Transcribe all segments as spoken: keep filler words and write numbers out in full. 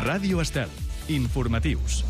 Ràdio Estel. Informatius.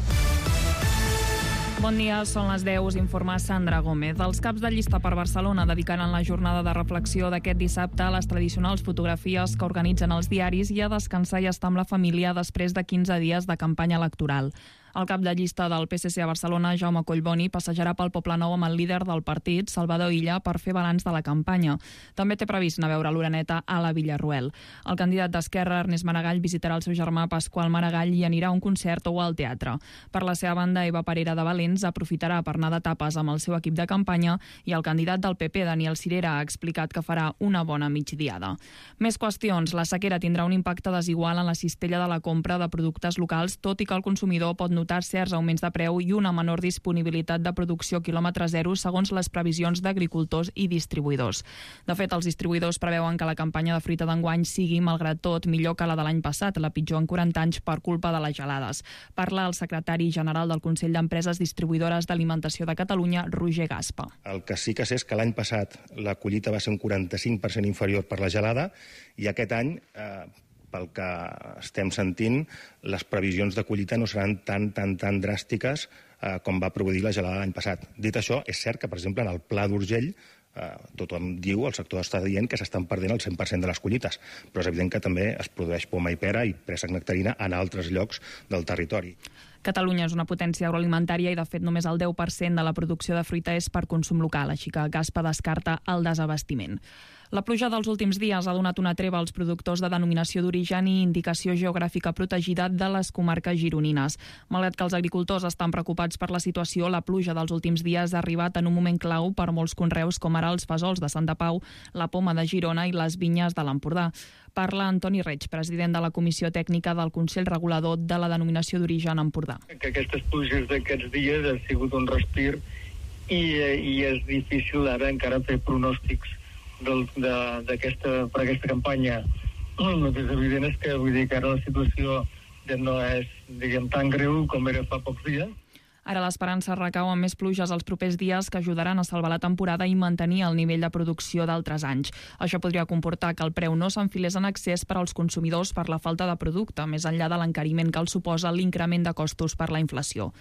Bon dia, són les deu, us informa Sandra Gómez. Els caps de llista per Barcelona dedicaran la jornada de reflexió d'aquest dissabte a les tradicionals fotografies que organitzen els diaris i a descansar i estar amb la família després de quinze dies de campanya electoral. El cap de llista del P S C a Barcelona, Jaume Collboni, passejarà pel Poblenou amb el líder del partit, Salvador Illa, per fer balanç de la campanya. També té previst anar a veure l'Oreneta a la Villarroel. El candidat d'Esquerra, Ernest Maragall, visitarà el seu germà Pasqual Maragall i anirà a un concert o al teatre. Per la seva banda, Eva Parera de Valens aprofitarà per anar d'etapes amb el seu equip de campanya i el candidat del P P, Daniel Sirera, ha explicat que farà una bona migdiada. Més qüestions. La sequera tindrà un impacte desigual en la cistella de la compra de productes locals, tot i que el consumidor pot notar certs augments de preu i una menor disponibilitat de producció quilòmetre zero segons les previsions d'agricultors i distribuïdors. De fet, els distribuïdors preveuen que la campanya de fruita d'enguany sigui, malgrat tot, millor que la de l'any passat, la pitjor en quaranta anys per culpa de les gelades. Parla el secretari general del Consell d'Empreses Distribuïdores d'Alimentació de Catalunya, Roger Gaspa. El que sí que sé és que l'any passat la collita va ser un quaranta-cinc per cent inferior per la gelada i aquest any, eh, pel que estem sentint, les previsions de collita no seran tan, tan, tan dràstiques eh, com va produir la gelada l'any passat. Dit això, és cert que, per exemple, en el Pla d'Urgell, eh, tothom diu, el sector està dient que s'estan perdent el cent per cent de les collites, però és evident que també es produeix poma i pera i préssec nectarina en altres llocs del territori. Catalunya és una potència agroalimentària i, de fet, només el deu per cent de la producció de fruita és per consum local, així que Gaspa descarta el desabastiment. La pluja dels últims dies ha donat una treva als productors de denominació d'origen i indicació geogràfica protegida de les comarques gironines. Malgrat que els agricultors estan preocupats per la situació, la pluja dels últims dies ha arribat en un moment clau per molts conreus, com ara els fesols de Santa Pau, la poma de Girona i les vinyes de l'Empordà. Parla Antoni Reig, president de la Comissió Tècnica del Consell Regulador de la Denominació d'Origen Empordà. Que aquestes pluges d'aquests dies ha sigut un respir i, i és difícil ara encara fer pronòstics del, de, d'aquesta, per aquesta campanya. El que és evident és que vull dir que ara la situació ja no és, diguem, tan greu com era fa pocs dies. Ara l'esperança recau en més pluges els propers dies que ajudaran a salvar la temporada i mantenir el nivell de producció d'altres anys. Això podria comportar que el preu no s'enfilés en excés per als consumidors per la falta de producte, més enllà de l'encariment que els suposa l'increment de costos per la inflació.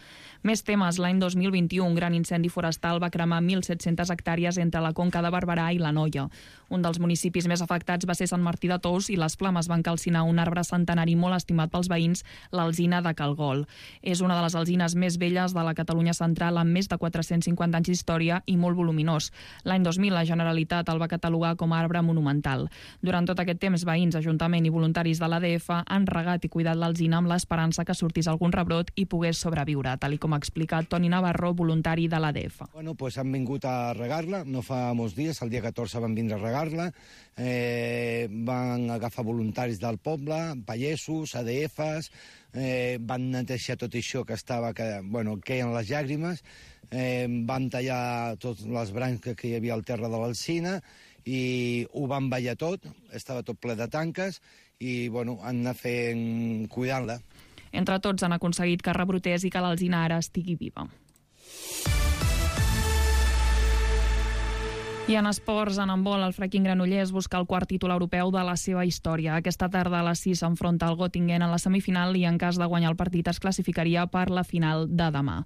Més temes. L'any dos mil vint-i-u un gran incendi forestal va cremar mil set-centes hectàrees entre la Conca de Barberà i l'Anoia. Un dels municipis més afectats va ser Sant Martí de Tous i les flames van calcinar un arbre centenari molt estimat pels veïns, l'alzina de Calgol. És una de les alzines més velles de la Catalunya central amb més de quatre-cents cinquanta anys d'història i molt voluminós. L'any dos mil la Generalitat el va catalogar com a arbre monumental. Durant tot aquest temps, veïns, Ajuntament i voluntaris de l'A D F han regat i cuidat l'alzina amb l'esperança que sortís algun rebrot i pogués sobreviure, tal com ha explicat Toni Navarro, voluntari de l'A D F. Bueno, pues han vingut a regar-la, no fa molts dies, el dia catorze van vindre a regar-la, eh, van agafar voluntaris del poble, pagesos, A D Fs, eh, van netejar tot això que estava, que, bueno, queien les llàgrimes, eh, van tallar totes les branques que hi havia al terra de l'alzina i ho van ballar tot, estava tot ple de tanques i, bueno, han anat fent, cuidant-la. Entre tots han aconseguit que rebrotés i que l'alzina ara estigui viva. I en esports, en handbol, el Fracking Granollers busca el quart títol europeu de la seva història. Aquesta tarda a les sis s'enfronta al Göttingen en la semifinal i en cas de guanyar el partit es classificaria per la final de demà.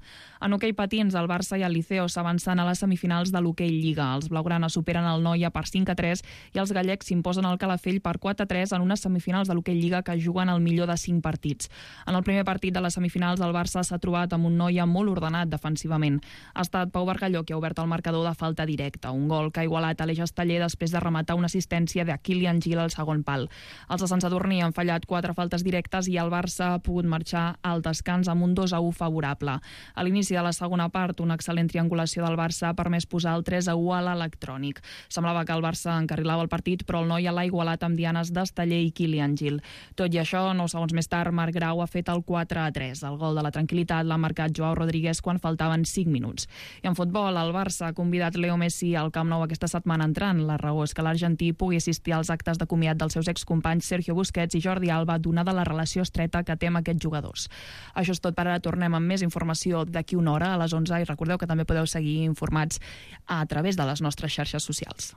En hoquei patins, el Barça i el Liceo s'avancen a les semifinals de l'hoquei Lliga. Els blaugrana superen el Noia per cinc a tres i els gallecs s'imposen al Calafell per quatre a tres en unes semifinals de l'hoquei Lliga que juguen el millor de cinc partits. En el primer partit de les semifinals, el Barça s'ha trobat amb un Noia molt ordenat defensivament. Ha estat Pau Bargalló qui ha obert el marcador de falta directa, un gol que ha igualat Aleix Esteller després de rematar una assistència de Kilian Gil al segon pal. Els de Sant Sadurní han fallat quatre faltes directes i el Barça ha pogut marxar al descans amb un dos a u favorable. A l'inici de la segona part, una excel·lent triangulació del Barça ha permès posar el tres a u a l'electrònic. Semblava que el Barça encarrilava el partit, però el Noia l'ha igualat amb dianes d'Esteller i Kilian Gil. Tot i això, nou segons més tard, Marc Grau ha fet el quatre a tres. El gol de la tranquil·litat l'ha marcat Joao Rodríguez quan faltaven cinc minuts. I en futbol, el Barça ha convidat Leo Messi al Camp Nou aquesta setmana entrant. La raó és que l'argentí pugui assistir als actes de comiat dels seus excompanys Sergio Busquets i Jordi Alba, donada la relació estreta que té amb aquests jugadors. Això és tot per ara. Tornem amb més informació d'aquí una hora a les onze i recordeu que també podeu seguir informats a través de les nostres xarxes socials.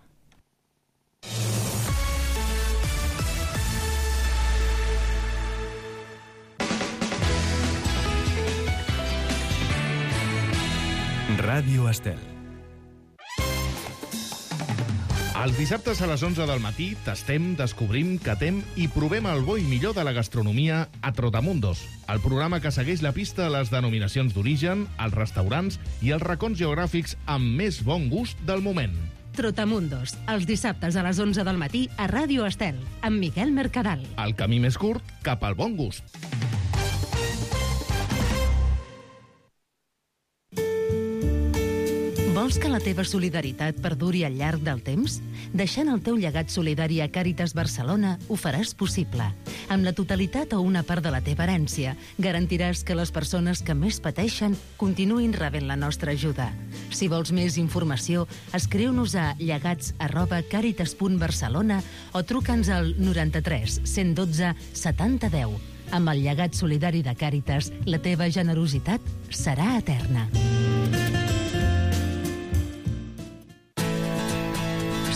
Ràdio Estel. Els dissabtes a les onze del matí tastem, descobrim, catem i provem el bo i millor de la gastronomia a Trotamundos, el programa que segueix la pista a les denominacions d'origen, els restaurants i els racons geogràfics amb més bon gust del moment. Trotamundos, els dissabtes a les onze del matí a Ràdio Estel, amb Miquel Mercadal. El camí més curt cap al bon gust. Vols que la teva solidaritat perduri al llarg del temps? Deixant el teu llegat solidari a Càritas Barcelona ho faràs possible. Amb la totalitat o una part de la teva herència, garantiràs que les persones que més pateixen continuïn rebent la nostra ajuda. Si vols més informació, escriu-nos a llegats arroba càritas punt barcelona o truca'ns al noranta-tres cent dotze setanta deu. Amb el llegat solidari de Càritas, la teva generositat serà eterna.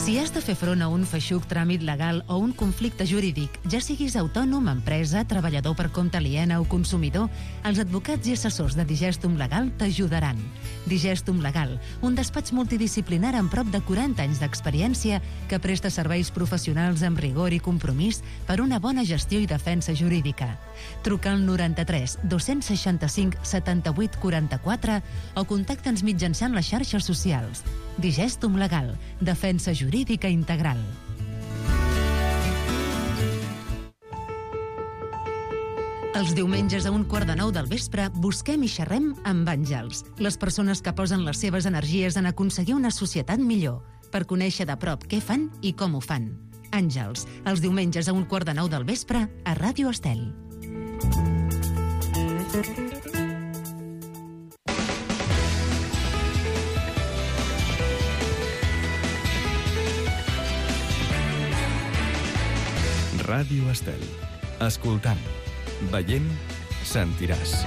Si has de fer front a un feixuc tràmit legal o un conflicte jurídic, ja siguis autònom, empresa, treballador per compte aliena o consumidor, els advocats i assessors de Digestum Legal t'ajudaran. Digestum Legal, un despatx multidisciplinar amb prop de quaranta anys d'experiència que presta serveis professionals amb rigor i compromís per una bona gestió i defensa jurídica. Truca al noranta-tres dos-cents seixanta-cinc setanta-vuit quaranta-quatre o contacta'ns mitjançant les xarxes socials. Digestum Legal, defensa jurídica integral. Els diumenges a un quart de nou del vespre busquem i xerrem amb àngels, les persones que posen les seves energies en aconseguir una societat millor, per conèixer de prop què fan i com ho fan. Àngels, els diumenges a un quart de nou del vespre a Ràdio Estel. Ràdio Estel. Escoltant, veient, sentiràs.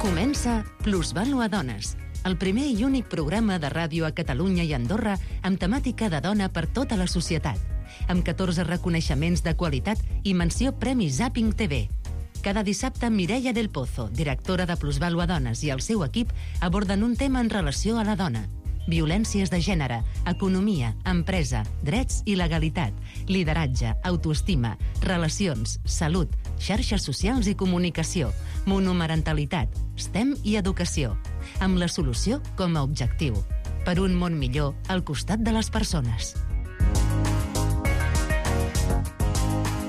Comença Plusvàlua Dones, el primer i únic programa de ràdio a Catalunya i Andorra amb temàtica de dona per tota la societat, amb catorze reconeixements de qualitat i menció Premi Zapping T V. Cada dissabte, Mireia del Pozo, directora de Plusvàlua Dones, i el seu equip aborden un tema en relació a la dona. Violències de gènere, economia, empresa, drets i legalitat, lideratge, autoestima, relacions, salut, xarxes socials i comunicació, monomarentalitat, STEM i educació, amb la solució com a objectiu. Per un món millor al costat de les persones.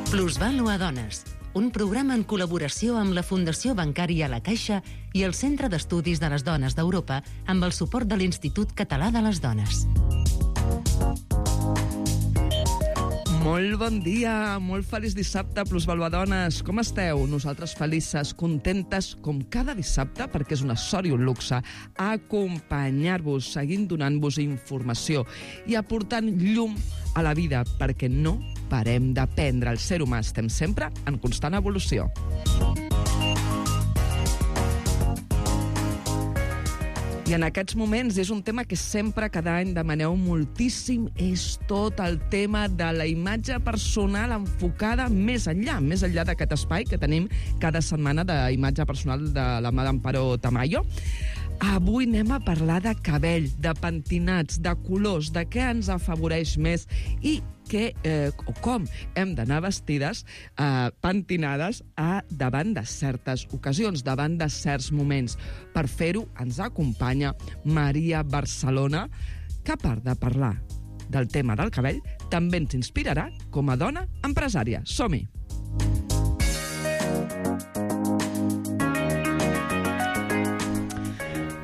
Plusvàlua Dones, un programa en col·laboració amb la Fundació Bancària La Caixa i el Centre d'Estudis de les Dones d'Europa amb el suport de l'Institut Català de les Dones. Molt bon dia, molt feliç dissabte, Plusvàlua Dones. Com esteu? Nosaltres felices, contentes, com cada dissabte, perquè és una sort i un luxe, acompanyar-vos, seguint donant-vos informació i aportant llum a la vida, perquè no parem d'aprendre. El ser humà estem sempre en constant evolució. I en aquests moments és un tema que sempre, cada any, demaneu moltíssim, és tot el tema de la imatge personal enfocada més enllà, més enllà d'aquest espai que tenim cada setmana d'imatge personal de la mà d'Amparo Tamayo. Avui anem a parlar de cabell, de pentinats, de colors, de què ens afavoreix més i que, eh, o com hem d'anar vestides, eh, pentinades a, davant de certes ocasions, davant de certs moments. Per fer-ho ens acompanya Maria Barcelona, que a part de parlar del tema del cabell, també ens inspirarà com a dona empresària. Som-hi!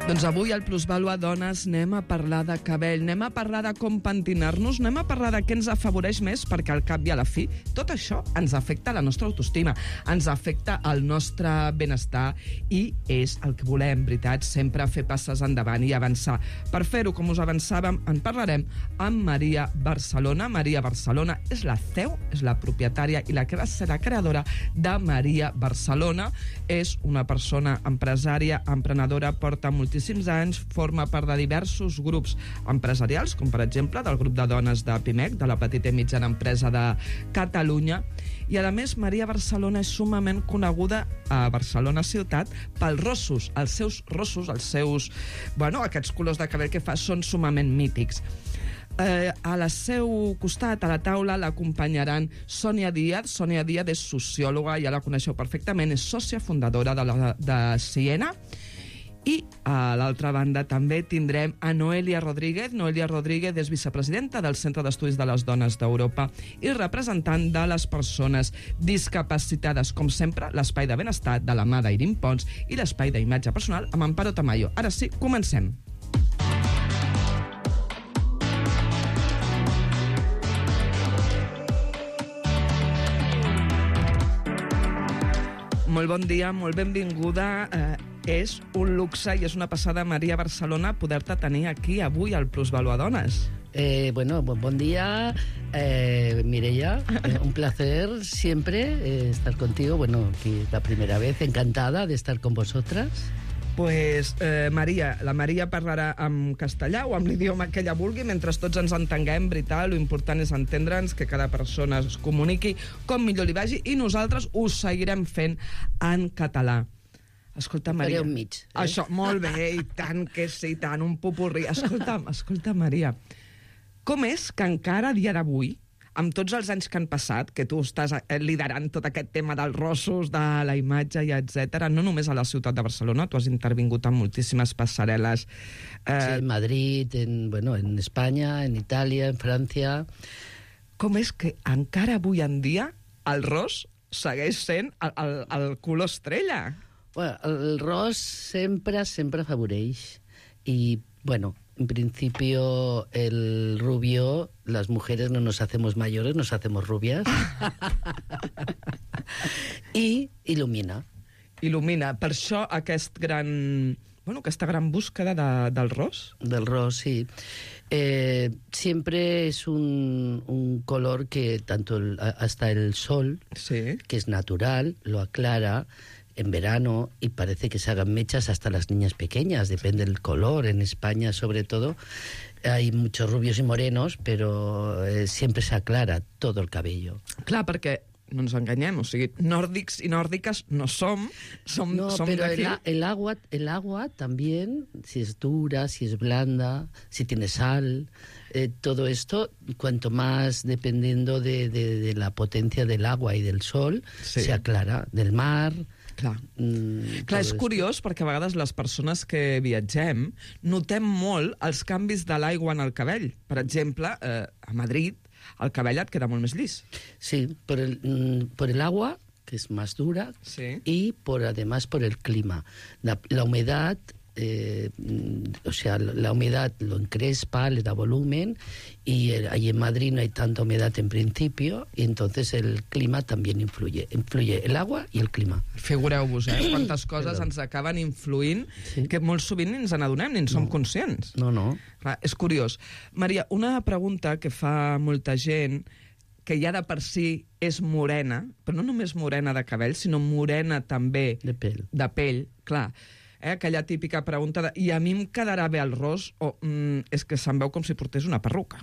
Doncs avui al Plusvàlua Dones anem a parlar de cabell, anem a parlar de com pentinar-nos, anem a parlar de què ens afavoreix més, perquè al cap i a la fi tot això ens afecta la nostra autoestima, ens afecta el nostre benestar i és el que volem, veritat, sempre fer passes endavant i avançar. Per fer-ho, com us avançàvem, en parlarem amb Maria Barcelona. Maria Barcelona és la C E O, és la propietària i la que va ser la creadora de Maria Barcelona. És una persona empresària, emprenedora, porta multi moltíssims anys, forma part de diversos grups empresarials, com per exemple del grup de dones de Pimec, de la petita i mitjana empresa de Catalunya, i a més Maria Barcelona és sumament coneguda a Barcelona ciutat pels rossos. Els seus rossos, els seus, bueno, aquests colors de cabell que fa són sumament mítics. Eh, a la seu costat, a la taula, l'acompanyaran Sònia Díaz. Sònia Díaz és sociòloga, ja la coneixeu perfectament, és sòcia fundadora de, la, de Siena. I a l'altra banda també tindrem a Noelia Rodríguez. Noelia Rodríguez és vicepresidenta del Centre d'Estudis de les Dones d'Europa i representant de les persones discapacitades. Com sempre, l'espai de benestar de la mà d'Irim Pons i l'espai d'imatge personal amb Amparo Tamayo. Ara sí, comencem. Molt bon dia, molt benvinguda. Eh, és un luxe i és una passada, Maria Barcelona, poder-te tenir aquí avui al Plusvaluadones. Eh, bueno, bon, bon día, eh, Mireia. Eh, un placer siempre eh, estar contigo. Bueno, aquí la primera vez, encantada de estar con vosotras. Pues, eh, Maria, la Maria parlarà en castellà o amb l'idioma que ella vulgui, mentre tots ens entenguem, veritat, l'important és entendre'ns, que cada persona es comuniqui com millor li vagi, i nosaltres ho seguirem fent en català. Escolta, Maria... Faré un mig. Eh? Això, molt bé, i tant que sí, tant, un popurrí. Escolta, escolta, Maria, com és que encara a dia d'avui, amb tots els anys que han passat, que tu estàs liderant tot aquest tema dels rossos, de la imatge i etcètera, no només a la ciutat de Barcelona, tu has intervingut en moltíssimes passarel·les. Eh... Sí, en Madrid, en, bueno, en Espanya, en Itàlia, en França... Com és que encara avui en dia el ros segueix sent el, el, el color estrella? Bueno, el ros sempre, sempre afavoreix. I, bueno... En principio, el rubio, las mujeres no nos hacemos mayores, nos hacemos rubias. I il·lumina. Il·lumina. Per això aquest gran... Bueno, aquesta gran búsqueda de, del ros. Del ros, sí. Eh, siempre es un, un color que tanto el, hasta el sol, sí, que es natural, lo aclara en verano y parece que se hagan mechas hasta las niñas pequeñas, depende del color. En España, sobre todo, hay muchos rubios y morenos, pero eh, siempre se aclara todo el cabello. Clar, perquè no ens enganyem, o sigui, nòrdics i nòrdiques no som, som, no, som pero d'aquí. el, el, agua, el agua también, si es dura, si es blanda, si tiene sal, eh, todo esto, cuanto más dependiendo de, de, de la potencia del agua y del sol, sí, se aclara, del mar... Clar, mm, Clar és curiós perquè a vegades les persones que viatgem notem molt els canvis de l'aigua en el cabell. Per exemple, eh, a Madrid el cabell et queda molt més llis. Sí, por el, por el agua, que es más dura, sí, y por, además por el clima. La, la humedad, eh, o sea, la humedad lo encrespa, le da volumen, y el, ahí en Madrid no hay tanta humedad en principio, y entonces el clima también influye. Influye el agua y el clima. Figureu-vos, eh? Quantes coses ens acaben influint, sí, que molt sovint ni ens n'adonem, ni en som no. conscients. No, no. Clar, és curiós. Maria, una pregunta que fa molta gent, que ja de per si és morena, però no només morena de cabell, sinó morena també de pell. De pell, clar. Eh, aquella típica pregunta de i a mi em quedarà bé el ros o mm, és que se'n veu com si portés una perruca.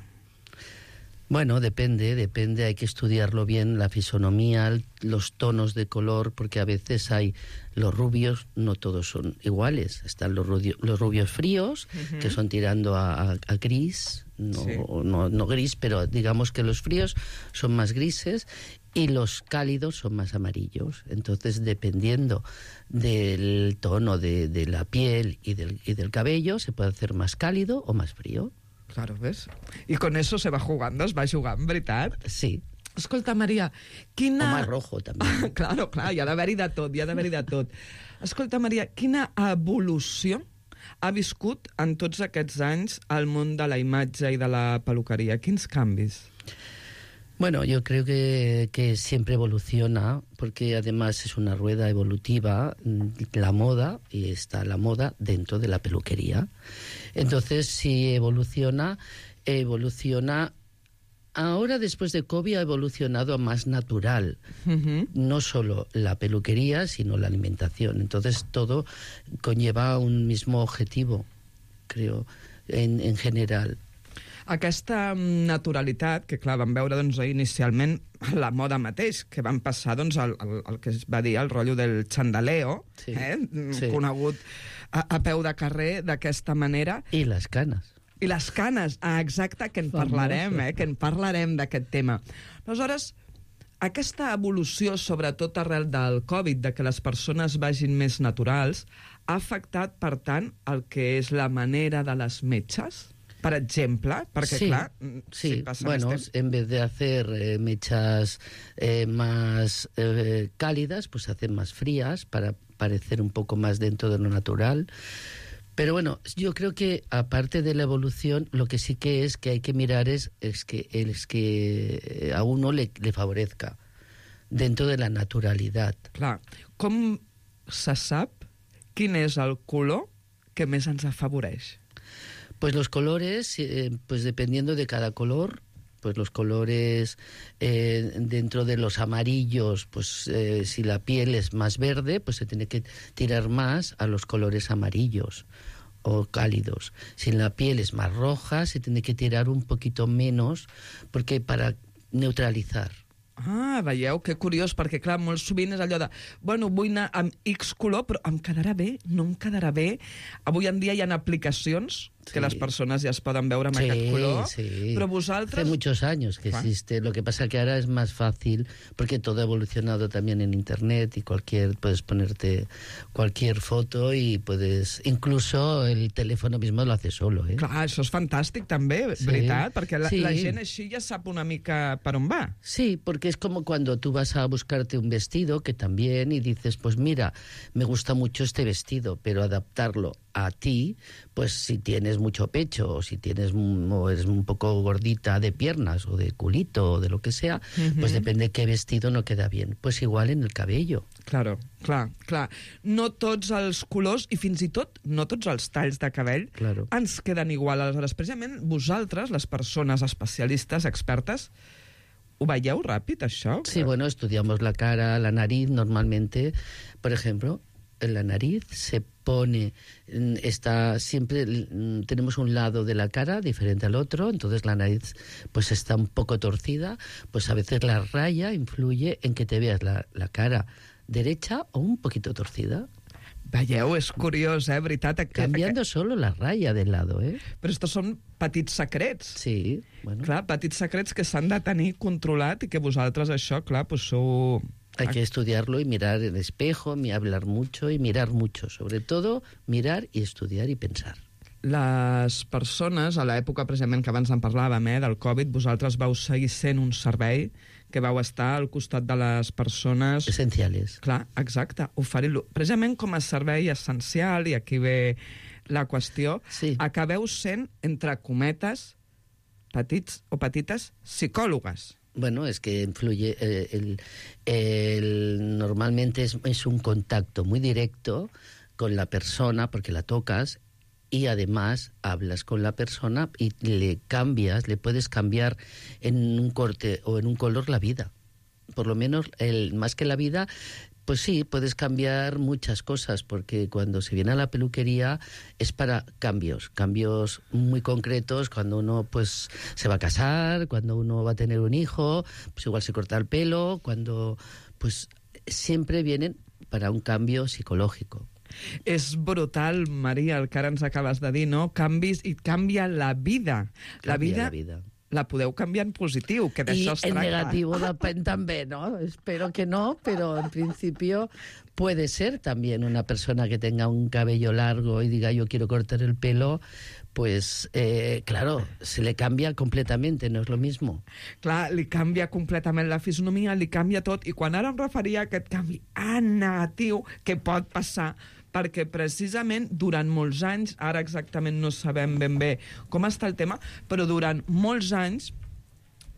Bueno, depende, depende, hay que estudiarlo bien, la fisonomía, los tonos de color, porque a veces hay los rubios, no todos son iguales. Están los, rubios, los rubios fríos, uh-huh, que son tirando a, a, a gris, no, sí, no, no gris, pero digamos que los fríos son más grises y los cálidos son más amarillos. Entonces, dependiendo del tono de, de la piel y del, y del cabello, se puede hacer más cálido o más frío. Claro, ves? I con eso se va jugando, es va jugant, veritat? Sí. Escolta, Maria, quina... O más rojo, també. Claro, clar, hi ha d'haver-hi de tot, hi ha d'haver-hi de tot. Escolta, Maria, quina evolució ha viscut en tots aquests anys el món de la imatge i de la peluqueria? Quins canvis? Bueno, yo creo que, que siempre evoluciona, porque además es una rueda evolutiva, la moda, y está la moda dentro de la peluquería. Entonces, si evoluciona, evoluciona ahora, después de COVID, ha evolucionado a más natural. Uh-huh. No solo la peluquería, sino la alimentación. Entonces, todo conlleva un mismo objetivo, creo, en, en general. Aquesta naturalitat, que clar, vam veure doncs, inicialment la moda mateix, que van passar doncs, el, el, el que es va dir el rotllo del xandaleo, sí, eh? sí. conegut a, a peu de carrer d'aquesta manera. I les canes. I les canes, ah, exacte, que en parlarem, eh? que en parlarem d'aquest tema. Aleshores, aquesta evolució, sobretot arrel del Covid, de que les persones vagin més naturals, ha afectat, per tant, el que és la manera de les metges? Per exemple, perquè sí, clar... Sí, si passa bueno, temps... en vez de hacer eh, mechas eh, más eh, cálidas, pues se hacen más frías para parecer un poco más dentro de lo natural. Pero bueno, yo creo que aparte de la evolución, lo que sí que es que hay que mirar es, es, que, es que a uno le, le favorezca dentro de la naturalidad. Clar, com se sap quin és el color que més ens afavoreix? Pues los colores, eh, pues dependiendo de cada color, pues los colores eh, dentro de los amarillos, pues eh, si la piel es más verde, pues se tiene que tirar más a los colores amarillos o cálidos. Si la piel es más roja, se tiene que tirar un poquito menos, porque para neutralizar. Ah, veieu, que curiós, perquè clar, molt sovint és allò de, bueno, vull anar amb X color, però em quedarà bé, no em quedarà bé. Avui en dia hi ha aplicacions que sí. les persones ja es poden veure amb sí, aquest color, sí. però vosaltres... Hace muchos años que Juan. existe, lo que pasa que ahora es más fácil, porque todo ha evolucionado también en internet y cualquier, puedes ponerte cualquier foto y puedes, incluso el teléfono mismo lo hace solo, ¿eh? Clar, això és fantàstic també, sí. veritat, perquè la, sí. la gent així ja sap una mica per on va. Sí, porque es como cuando tú vas a buscarte un vestido, que también, y dices, pues mira, me gusta mucho este vestido, pero adaptarlo a ti, pues si tienes mucho pecho o si tienes o eres un poco gordita de piernas o de culito o de lo que sea, uh-huh. pues depende qué vestido no queda bien. Pues igual en el cabello. Claro, clar, clar. No tots els colors i fins i tot no tots els talls de cabell claro. ens queden igual. Aleshores, precisament vosaltres, les persones especialistes, expertes, ¿ho veieu ràpid, això? Sí, bueno, estudiamos la cara, la nariz, normalmente, por ejemplo, en la nariz se pone, está siempre, tenemos un lado de la cara diferente al otro, entonces la nariz pues está un poco torcida, pues a veces la raya influye en que te veas la, la cara derecha o un poquito torcida. Veieu, és curiós, eh, veritat? Que, Cambiando que... solo la raya del lado, eh? Però estos són petits secrets. Sí, bueno. Clar, petits secrets que s'han de tenir controlat i que vosaltres això, clar, pues sou... Hay que estudiarlo y mirar el espejo, y hablar mucho y mirar mucho. Sobre todo, mirar y estudiar y pensar. Les persones, a l'època precisament que abans en parlàvem, eh, del Covid, vosaltres vau seguir sent un servei que vau estar al costat de les persones... Essencials. Clar, exacte, oferir-lo. Precisament com a servei essencial, i aquí ve la qüestió, sí. acabeu sent, entre cometes, petits o petites psicòlogues. Bueno, es que influye, eh, el, el, normalmente es, es un contacto muy directo con la persona porque la tocas y además hablas con la persona y le cambias, le puedes cambiar en un corte o en un color la vida. Por lo menos, el, más que la vida, pues sí, puedes cambiar muchas cosas, porque cuando se viene a la peluquería es para cambios, cambios muy concretos, cuando uno pues se va a casar, cuando uno va a tener un hijo, pues igual se corta el pelo, cuando pues siempre vienen para un cambio psicológico. És brutal, Maria, el que ara ens acabes de dir, no? Canvis i canvia la vida. La vida, la vida. La podeu canviar en positiu, que d'això es tracta. Y en negativo también, ¿no? Espero que no, pero en principio puede ser también una persona que tenga un cabello largo y diga yo quiero cortar el pelo, pues eh, claro, se le cambia completamente, no es lo mismo. Clar, li canvia completament la fisonomia, li canvia tot, i quan ara em referia a aquest canvi en negatiu que pot passar, perquè precisament durant molts anys, ara exactament no sabem ben bé com està el tema, però durant molts anys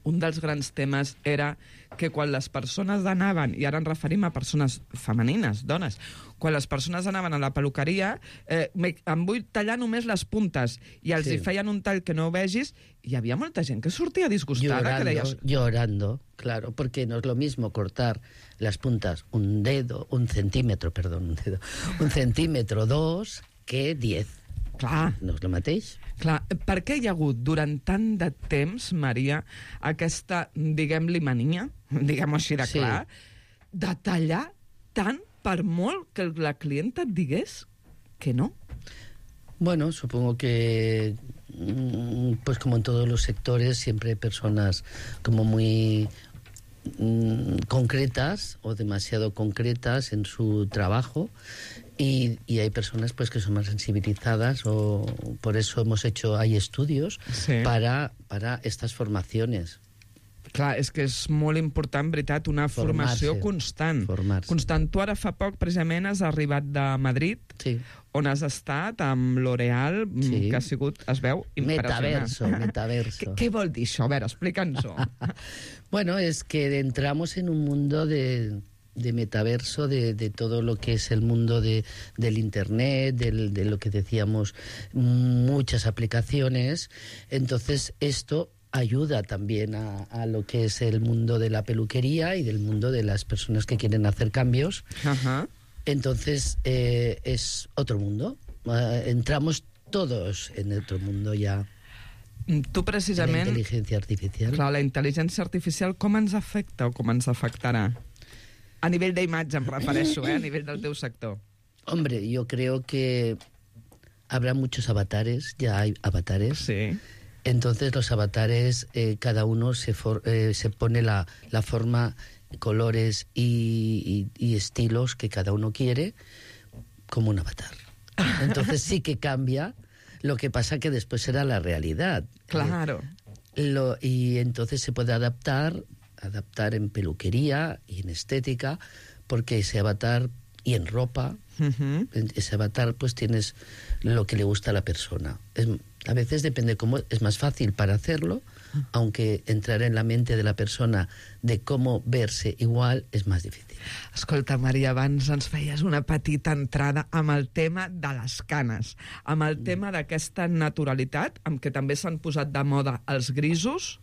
un dels grans temes era que quan les persones anaven, i ara ens referim a persones femenines, dones, quan les persones anaven a la peluqueria, eh, em vull tallar només les puntes, i els Sí. hi feien un tall que no ho vegis, i hi havia molta gent que sortia disgustada, Llorando, que deies... llorando, claro, porque no es lo mismo cortar las puntas un dedo, un centímetro, perdón, un dedo, un centímetro, dos, que diez. Clar. No és el mateix. Clar, per què hi ha hagut durant tant de temps, Maria, aquesta, diguem-li, mania, diguem-ho així de Sí. clar, de tallar tant per molt que la clienta et digués que no? Bueno, supongo que, mm, pues como en todos los sectores, siempre hay personas como muy mm, concretas o demasiado concretas en su trabajo. Y, y hay personas pues que son más sensibilizadas, o por eso hemos hecho, hay estudios Sí. para, para estas formaciones. Clar, és que és molt important, veritat, una formació Formar-se. constant. Formarse. Constant. Tu ara fa poc, precisament, has arribat de Madrid, Sí. on has estat amb L'Oreal, mm, Sí. que ha sigut, es veu, impressionant. Metaverso, metaverso. Què, què vol dir això? A veure, explica'ns-ho. Bueno, es que entramos en un mundo de, de metaverso, de, de todo lo que es el mundo de, del Internet, del, de lo que decíamos, muchas aplicaciones. Entonces, esto ayuda también a, a lo que es el mundo de la peluquería y del mundo de las personas que quieren hacer cambios. Ajá. Entonces, eh, es otro mundo. Eh, entramos todos en otro mundo ya. Tu, La precisament... inteligencia artificial. Clar, la intel·ligència artificial com ens afecta o com ens afectarà? A nivell d'imatge em refereixo, eh? A nivell del teu sector. Hombre, yo creo que habrá muchos avatares, ya hay avatares. Sí. Entonces los avatares, eh, cada uno se, for, eh, se pone la, la forma, colores y, y, y estilos que cada uno quiere como un avatar. Entonces sí que cambia, lo que pasa que después será la realidad. Claro. Eh, lo, y entonces se puede adaptar, adaptar en peluquería y en estética, porque ese avatar, y en ropa, Uh-huh. en ese avatar pues tienes lo que le gusta a la persona. Es, a veces depende cómo, es más fácil para hacerlo, aunque entrar en la mente de la persona de cómo verse igual es más difícil. Escolta, Maria, abans ens feies una petita entrada amb el tema de les canes, amb el tema d'aquesta naturalitat, amb què també s'han posat de moda els grisos.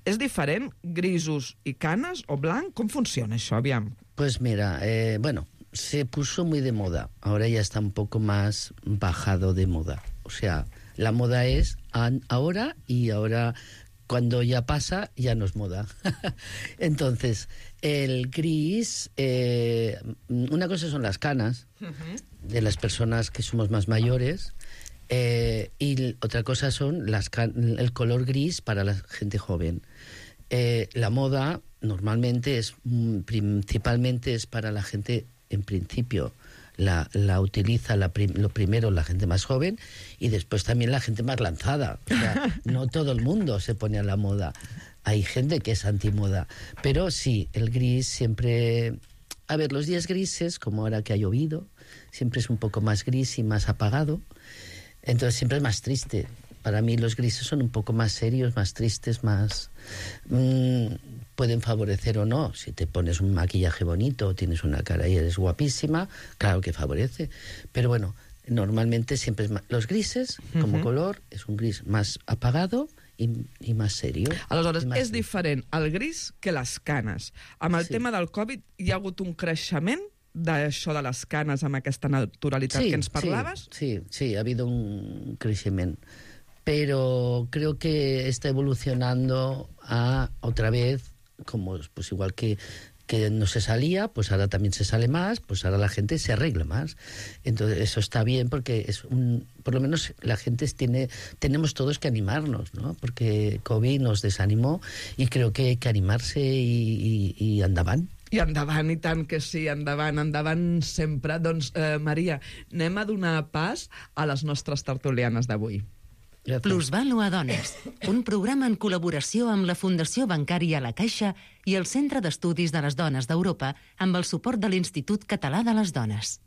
És diferent, grisos i canes o blanc? Com funciona això, aviam? Pues mira, eh, bueno, se puso muy de moda, ahora ya está un poco más bajado de moda. O sea, la moda es an- ahora, y ahora cuando ya pasa ya no es moda. Entonces, el gris, eh, una cosa son las canas de las personas que somos más mayores, eh, y l- otra cosa son las can- el color gris para la gente joven. Eh, la moda normalmente es mm, principalmente es para la gente, en principio la, la utiliza la prim- lo primero la gente más joven, y después también la gente más lanzada. O sea, no todo el mundo se pone a la moda. Hay gente que es antimoda. Pero sí, el gris siempre... A ver, los días grises, como ahora que ha llovido, siempre es un poco más gris y más apagado. Entonces siempre es más triste. Para mí los grises son un poco más serios, más tristes, más... Mmm, pueden favorecer o no. Si te pones un maquillaje bonito, tienes una cara y eres guapísima, claro que favorece. Pero bueno, normalmente siempre es más... Los grises, como Uh-huh. color, es un gris más apagado i, i més serio. Aleshores, I més- és diferent el gris que les canes. Amb el Sí. tema del Covid hi ha hagut un creixement d'això de les canes amb aquesta naturalitat que ens parlaves? Sí, sí, sí, ha habido un crecimiento. Pero creo que está evolucionando a otra vez, como pues igual que, que no se salía, pues ahora también se sale más, pues ahora la gente se arregla más. Entonces eso está bien, porque es un, por lo menos la gente tiene, tenemos todos que animarnos, ¿no? Porque COVID nos desanimó y creo que hay que animarse y, y, y andaban. I endavant, i tant que sí, endavant, endavant sempre. Doncs, eh, Maria, anem a donar pas a les nostres tertulianes d'avui. Gracias. Plusvalua Dones, un programa en col·laboració amb la Fundació Bancària La Caixa i el Centre d'Estudis de les Dones d'Europa amb el suport de l'Institut Català de les Dones.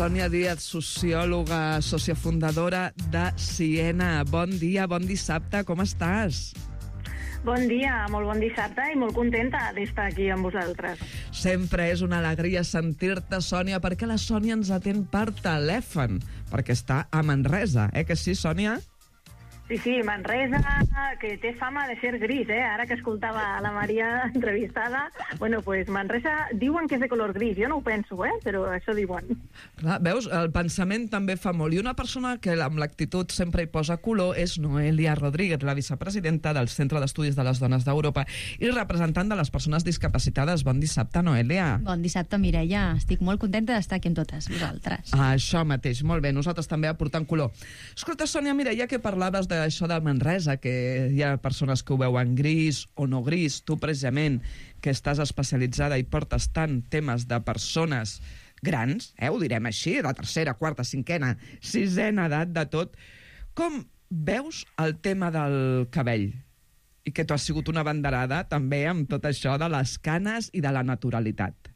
Sònia Díaz, sociòloga, sòcia fundadora de Siena. Bon dia, bon dissabte, com estàs? Bon dia, molt bon dissabte i molt contenta d'estar aquí amb vosaltres. Sempre és una alegria sentir-te, Sònia, perquè la Sònia ens atén per telèfon, perquè està a Manresa, eh que sí, Sònia? Sí, sí, Manresa, que té fama de ser gris, eh? Ara que escoltava la Maria entrevistada, bueno, pues Manresa diuen que és de color gris, jo no ho penso, eh? Però això diuen. Clar, veus, el pensament també fa molt. I una persona que amb l'actitud sempre hi posa color és Noelia Rodríguez, la vicepresidenta del Centre d'Estudis de les Dones d'Europa i representant de les persones discapacitades. Bon dissabte, Noelia. Bon dissabte, Mireia. Estic molt contenta d'estar aquí amb totes vosaltres. Ah, això mateix, molt bé. Nosaltres també aportant color. Escolta, Sònia, mira, ja que parlaves de això de Manresa, que hi ha persones que ho veuen gris o no gris, tu precisament, que estàs especialitzada i portes tant temes de persones grans, eh, ho direm així, de tercera, quarta, cinquena, sisena edat, de tot, com veus el tema del cabell? I que tu has sigut una banderada també amb tot això de les canes i de la naturalitat.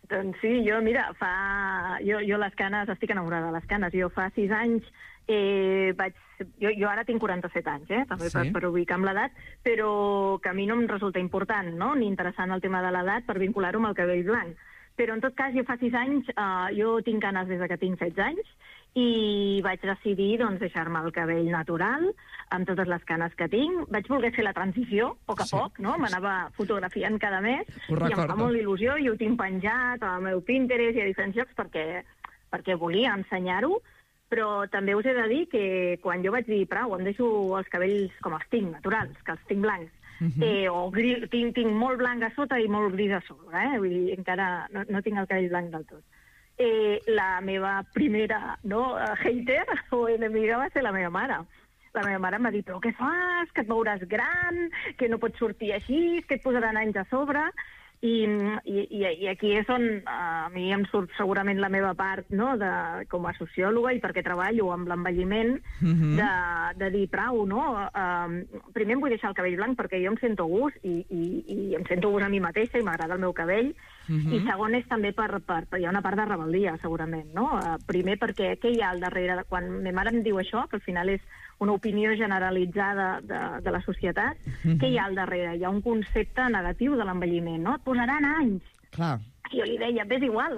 Doncs sí, jo, mira, fa... Jo, jo les canes, estic enamorada de les canes. Jo fa sis anys eh, vaig... Jo, jo ara tinc quaranta-set anys, eh? També sí. per, per ubicar amb l'edat, però que a mi no em resulta important, no?, ni interessant el tema de l'edat per vincular-ho amb el cabell blanc. Però, en tot cas, jo fa sis anys, eh, jo tinc canes des que tinc setze anys, i vaig decidir doncs, deixar-me el cabell natural, amb totes les canes que tinc. Vaig voler fer la transició, a poc a sí. poc, no? M'anava fotografiant cada mes, i em fa molt il·lusió, i ho tinc penjat al meu Pinterest i a diferents llocs perquè, perquè volia ensenyar-ho, però també us he de dir que quan jo vaig dir, prou, em deixo els cabells com els tinc, naturals, que els tinc blancs, uh-huh. eh, o gris, tinc, tinc molt blanc a sota i molt gris a sobre, eh? Vull dir, encara no, no tinc el cabell blanc del tot. Eh, la meva primera no, hater o enemiga va ser la meva mare. La meva mare em va dir, però què fas? Que et veuràs gran, que no pots sortir així, que et posaran anys a sobre. I, i, i aquí és on a mi em surt segurament la meva part, no, de, com a sociòloga i perquè treballo amb l'envelliment, uh-huh. de, de dir prou, no? Uh, primer em vull deixar el cabell blanc perquè jo em sento gust i, i, i em sento gust a mi mateixa i m'agrada el meu cabell. Uh-huh. I segon és també per, per, per... Hi ha una part de rebel·lia, segurament, no? Uh, primer perquè què hi ha al darrere? Quan ma mare em diu això, que al final és una opinió generalitzada de, de la societat, uh-huh. què hi ha al darrere? Hi ha un concepte negatiu de l'envelliment, no? Et posaran anys. Clar. I jo li deia, és igual.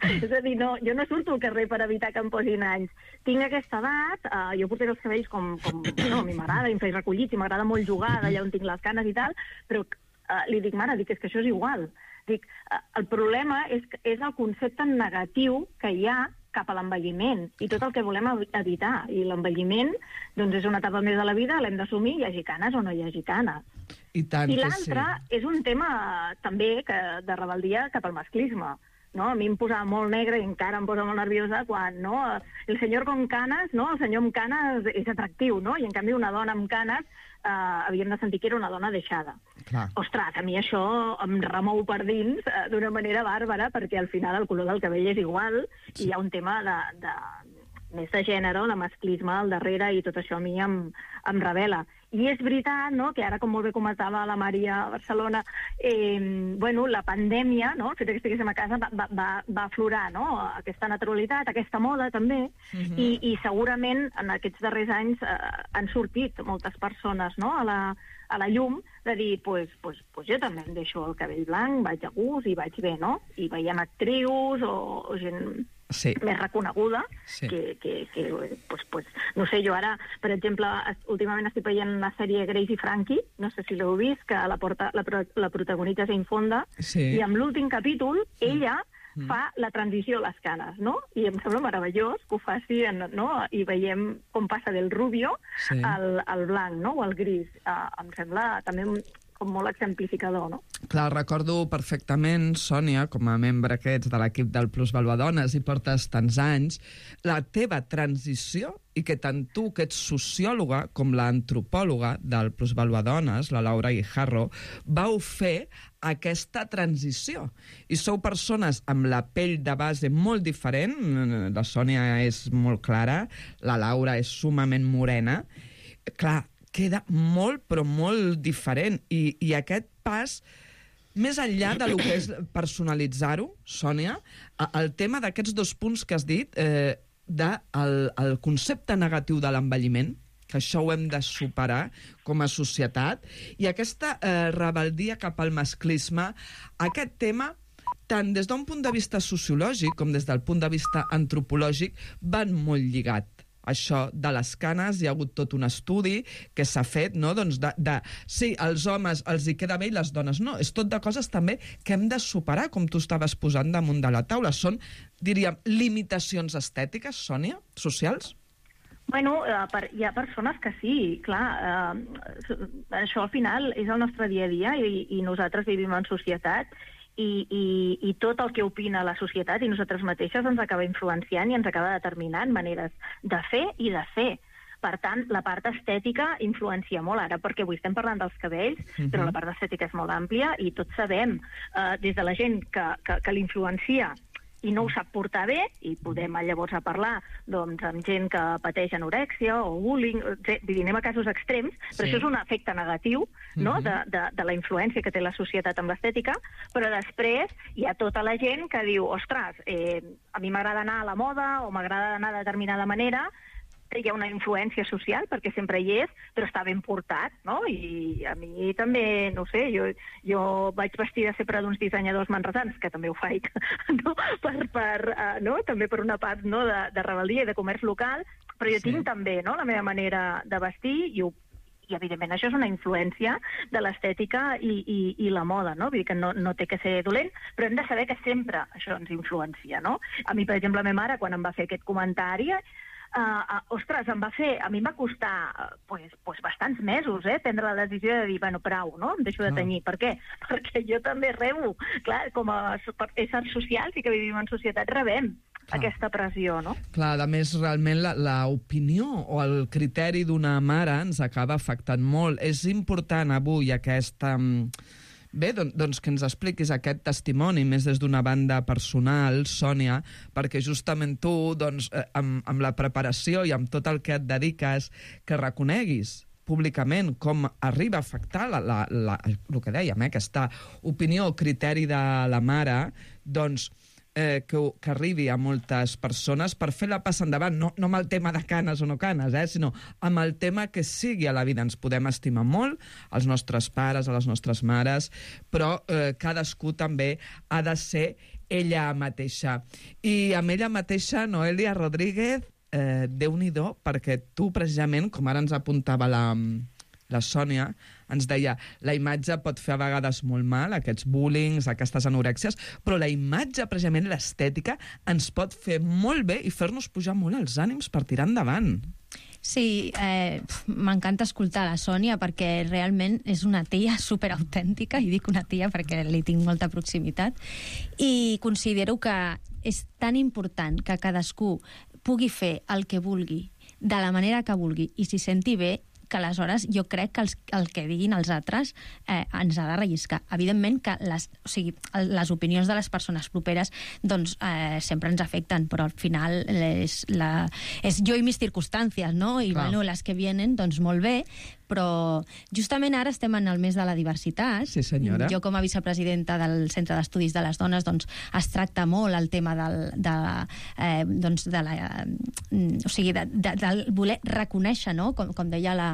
És a dir, no, jo no surto al carrer per evitar que em posin anys. Tinc aquesta edat, uh, jo portaré els cabells com... com no, a mi m'agrada, em faig recollits i m'agrada molt jugar d'allà on tinc les canes i tal, però uh, li dic, mare, dic, és que això és igual. Dic, uh, el problema és, és el concepte negatiu que hi ha cap a l'envelliment i tot el que volem evitar. I l'envelliment doncs, és una etapa més de la vida, l'hem d'assumir, hi hagi canes o no hi hagi canes. I, tant I l'altre sí. és un tema també que, de rebel·lia cap al masclisme. No? A mi em posava molt negre i encara em posa molt nerviosa quan no? El senyor con canes, no? El senyor amb canes és atractiu, no? I en canvi una dona amb canes eh, havíem de sentir que era una dona deixada. Clar. Ostres, a mi això em remou per dins eh, d'una manera bàrbara perquè al final el color del cabell és igual sí. i hi ha un tema de, de, més de gènere, de masclisme al darrere i tot això a mi em, em revela. I és veritat, no?, que ara, com molt bé comentava la Maria a Barcelona, eh, bueno, la pandèmia, no?, el fet que estiguéssim a casa va, va, va aflorar, no?, aquesta naturalitat, aquesta moda, també, uh-huh. i, i segurament en aquests darrers anys eh, han sortit moltes persones, no?, a la, a la llum, de dir, pues, pues, pues jo també em deixo el cabell blanc, vaig a gust i vaig bé, no?, i veiem actrius o, o gent... Sí. més reconeguda, sí. que, que, que pues, pues, no sé, jo ara, per exemple, últimament estic veient la sèrie Grace i Frankie, no sé si l'heu vist, que la, porta, la, la protagonitza Jane Fonda, sí. i amb l'últim capítol, sí. ella mm. fa la transició a les canes, no? I em sembla meravellós que ho faci, no? I veiem com passa del rubio sí. al, al blanc, no?, o al gris. Uh, em sembla també com molt exemplificador, no? Clar, recordo perfectament, Sònia, com a membre aquests de l'equip del Plusvaluadones i portes tants anys, la teva transició i que tant tu, que ets sociòloga, com l'antropòloga del Plusvaluadones, la Laura Guijarro, vau fer aquesta transició. I sou persones amb la pell de base molt diferent, la Sònia és molt clara, la Laura és sumament morena. Clar, queda molt, però molt diferent. I, i aquest pas més enllà de lo que és personalitzar-ho, Sònia, el tema d'aquests dos punts que has dit, eh, del de el concepte negatiu de l'envelliment, que això ho hem de superar com a societat, i aquesta eh, rebeldia cap al masclisme, aquest tema, tant des d'un punt de vista sociològic com des del punt de vista antropològic, van molt lligat. Això de les canes, hi ha hagut tot un estudi que s'ha fet, no? Doncs de, de, sí, als homes els hi queda bé i les dones no. És tot de coses també que hem de superar, com tu estaves posant damunt de la taula. Són, diríem, limitacions estètiques, Sònia, socials? Bueno, eh, per, hi ha persones que sí, clar. Eh, això al final és el nostre dia a dia i, i nosaltres vivim en societat. I, i, i tot el que opina la societat i nosaltres mateixes ens acaba influenciant i ens acaba determinant maneres de fer i de ser. Per tant, la part estètica influencia molt ara, perquè avui estem parlant dels cabells, uh-huh. però la part estètica és molt àmplia i tots sabem, eh, des de la gent que, que, que l'influencia i no ho sap portar bé, i podem llavors a parlar doncs, amb gent que pateix anorèxia o bullying, anem a casos extrems, però sí. Això és un efecte negatiu, no?, uh-huh. de, de, de la influència que té la societat amb l'estètica, però després hi ha tota la gent que diu, ostres, eh, a mi m'agrada anar a la moda o m'agrada anar de determinada manera, hi ha una influència social, perquè sempre hi és, però està ben portat, no? I a mi també, no sé, jo, jo vaig vestida sempre d'uns dissenyadors manresans, que també ho faig, no? Per, per, uh, no? També per una part, no? de, de rebel·lia i de comerç local, però jo sí. tinc també, no?, la meva manera de vestir i ho i, evidentment, això és una influència de l'estètica i, i, i la moda, no? Vull dir que no, no té que ser dolent, però hem de saber que sempre això ens influencia, no? A mi, per exemple, la meva mare, quan em va fer aquest comentari, Uh, uh, ostres, em va fer, a mi em va costar uh, pues, pues bastants mesos, eh, prendre la decisió de dir, bueno, prou, no? Em deixo de tenyir. Ah. Per què? Perquè jo també rebo. Clar, com a éssers socials i que vivim en societat, rebem Clar. aquesta pressió, no? Clar, a més, realment, l'opinió o el criteri d'una mare ens acaba afectant molt. És important avui aquesta... Bé, doncs, doncs que ens expliquis aquest testimoni més des d'una banda personal, Sònia, perquè justament tu, doncs, eh, amb, amb la preparació i amb tot el que et dediques, que reconeguis públicament com arriba a afectar la, la, la, el que dèiem, eh, aquesta opinió o criteri de la mare, doncs, eh, que, que arribi a moltes persones per fer la passa endavant, no, no amb el tema de canes o no canes, eh, sinó amb el tema que sigui a la vida. Ens podem estimar molt, els nostres pares, a les nostres mares, però eh, cadascú també ha de ser ella mateixa. I amb ella mateixa, Noelia Rodríguez, eh, Déu-n'hi-do, perquè tu, precisament, com ara ens apuntava la... la Sònia, ens deia, la imatge pot fer a vegades molt mal, aquests bullings, aquestes anorèxies, però la imatge, precisament l'estètica, ens pot fer molt bé i fer-nos pujar molt els ànims per tirar endavant. Sí, eh, m'encanta escoltar la Sònia perquè realment és una tia superautèntica, i dic una tia perquè li tinc molta proximitat, i considero que és tan important que cadascú pugui fer el que vulgui, de la manera que vulgui, i s'hi senti bé, que aleshores jo crec que els, el que diguin els altres eh, ens ha de relliscar. Evidentment que les, o sigui, les opinions de les persones properes doncs, eh, sempre ens afecten, però al final és, la, és jo i mis circumstàncies, no? I bueno, les que vienen, doncs molt bé, però justament ara estem en el mes de la diversitat. Sí, senyora. Jo, com a vicepresidenta del Centre d'Estudis de les Dones, doncs es tracta molt el tema del, de, eh, doncs de la... Eh, o sigui, de, de, de voler reconèixer, no?, com, com deia la,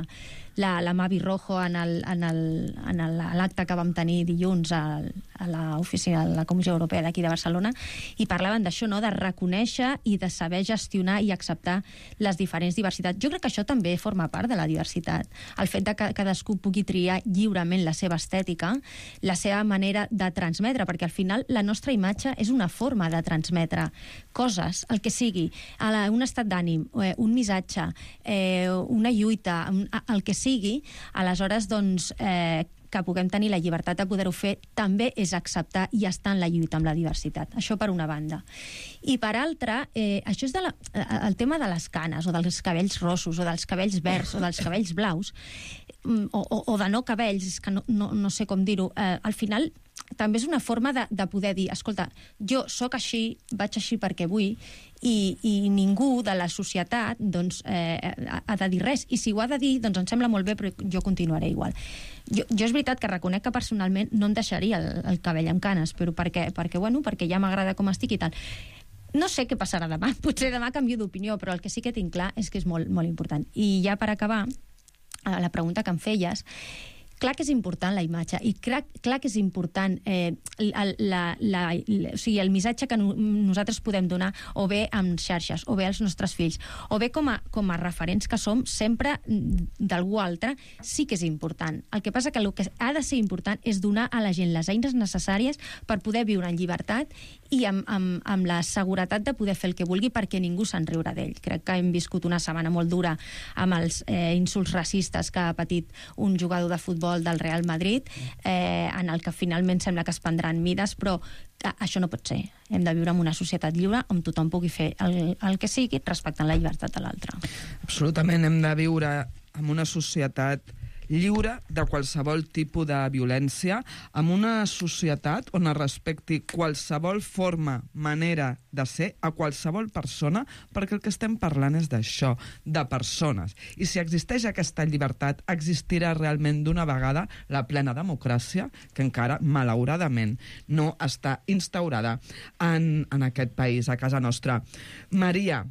la, la Mavi Rojo en l'acte que vam tenir dilluns a, a l'oficina de la Comissió Europea d'aquí de Barcelona, i parlaven d'això, no?, de reconèixer i de saber gestionar i acceptar les diferents diversitats. Jo crec que això també forma part de la diversitat. El fet de que cadascú pugui triar lliurement la seva estètica, la seva manera de transmetre, perquè al final la nostra imatge és una forma de transmetre coses, el que sigui, un estat d'ànim, un missatge, una lluita, el que sigui, aleshores, doncs, eh, que puguem tenir la llibertat de poder-ho fer també és acceptar i estar en la lluita amb la diversitat. Això per una banda. I per altra, eh, això és de la, el tema de les canes, o dels cabells rossos, o dels cabells verds, o dels cabells blaus, o, o, o de no cabells, és que no, no, no sé com dir-ho. Eh, al final, també és una forma de, de poder dir, escolta, jo sóc així, vaig així perquè vull, i, i ningú de la societat doncs, eh, ha de dir res. I si ho ha de dir, doncs em sembla molt bé, però jo continuaré igual. Jo, jo és veritat que reconec que personalment no em deixaria el, el cabell amb canes, però perquè, perquè, bueno, perquè ja m'agrada com estic i tal. No sé què passarà demà, potser demà canvio d'opinió, però el que sí que tinc clar és que és molt, molt important. I ja per acabar, la pregunta que em feies, clar que és important la imatge i clar, clar que és important eh, la, la, la, o sigui, el missatge que no, nosaltres podem donar o bé amb xarxes, o bé als nostres fills, o bé com a, com a referents que som sempre d'algú altre, sí que és important. El que passa que el que ha de ser important és donar a la gent les eines necessàries per poder viure en llibertat i amb, amb, amb la seguretat de poder fer el que vulgui perquè ningú se'n riurà d'ell. Crec que hem viscut una setmana molt dura amb els eh, insults racistes que ha patit un jugador de futbol del Real Madrid, eh, en el que finalment sembla que es prendran mides, però això no pot ser. Hem de viure en una societat lliure on tothom pugui fer el, el que sigui respectant la llibertat de l'altre. Absolutament, hem de viure en una societat lliure de qualsevol tipus de violència, en una societat on es respecti qualsevol forma, manera de ser a qualsevol persona, perquè el que estem parlant és d'això, de persones. I si existeix aquesta llibertat, existirà realment d'una vegada la plena democràcia, que encara, malauradament, no està instaurada en, en aquest país, a casa nostra. Maria,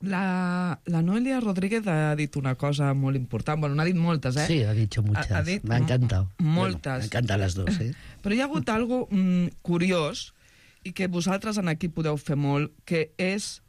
La, la Noelia Rodríguez ha dit una cosa molt important. Bueno, n'ha dit moltes, eh? Sí, ha dicho muchas. Ha, ha dit me ha encantado. Moltes. Bueno, me encantan las dos, eh? Però hi ha hagut algo mm, curiós i que vosaltres en aquí podeu fer molt, que és,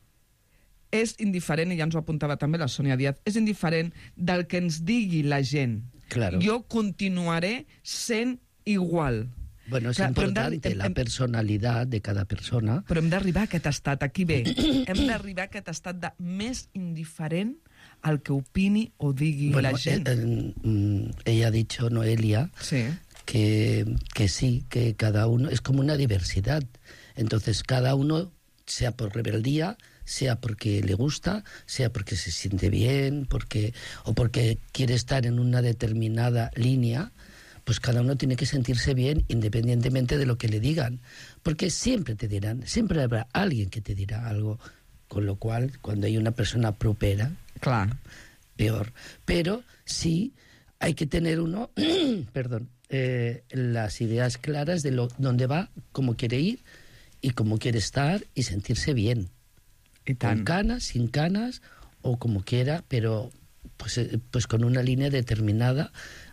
és indiferent, i ja ens ho apuntava també la Sònia Díaz, és indiferent del que ens digui la gent. Claro. Jo continuaré sent igual. Bueno, es Clar, importante hem, la personalidad de cada persona. Però hem d'arribar a aquest estat, aquí bé, hem d'arribar a aquest estat de més indiferent al que opini o digui bueno, la gent. Eh, eh, ella ha dicho, Noelia, sí. que, que sí, que cada uno es como una diversidad. Entonces, cada uno, sea por rebeldía, sea porque le gusta, sea porque se siente bien, porque o porque quiere estar en una determinada línea, pues cada uno tiene que sentirse bien independientemente de lo que le digan. Porque siempre te dirán, siempre habrá alguien que te dirá algo. Con lo cual, cuando hay una persona propera, claro, peor. Pero sí hay que tener uno, perdón, eh, las ideas claras de lo, dónde va, cómo quiere ir y cómo quiere estar y sentirse bien. Y tan... Con canas, sin canas o como quiera, pero pues, eh, pues con una línea determinada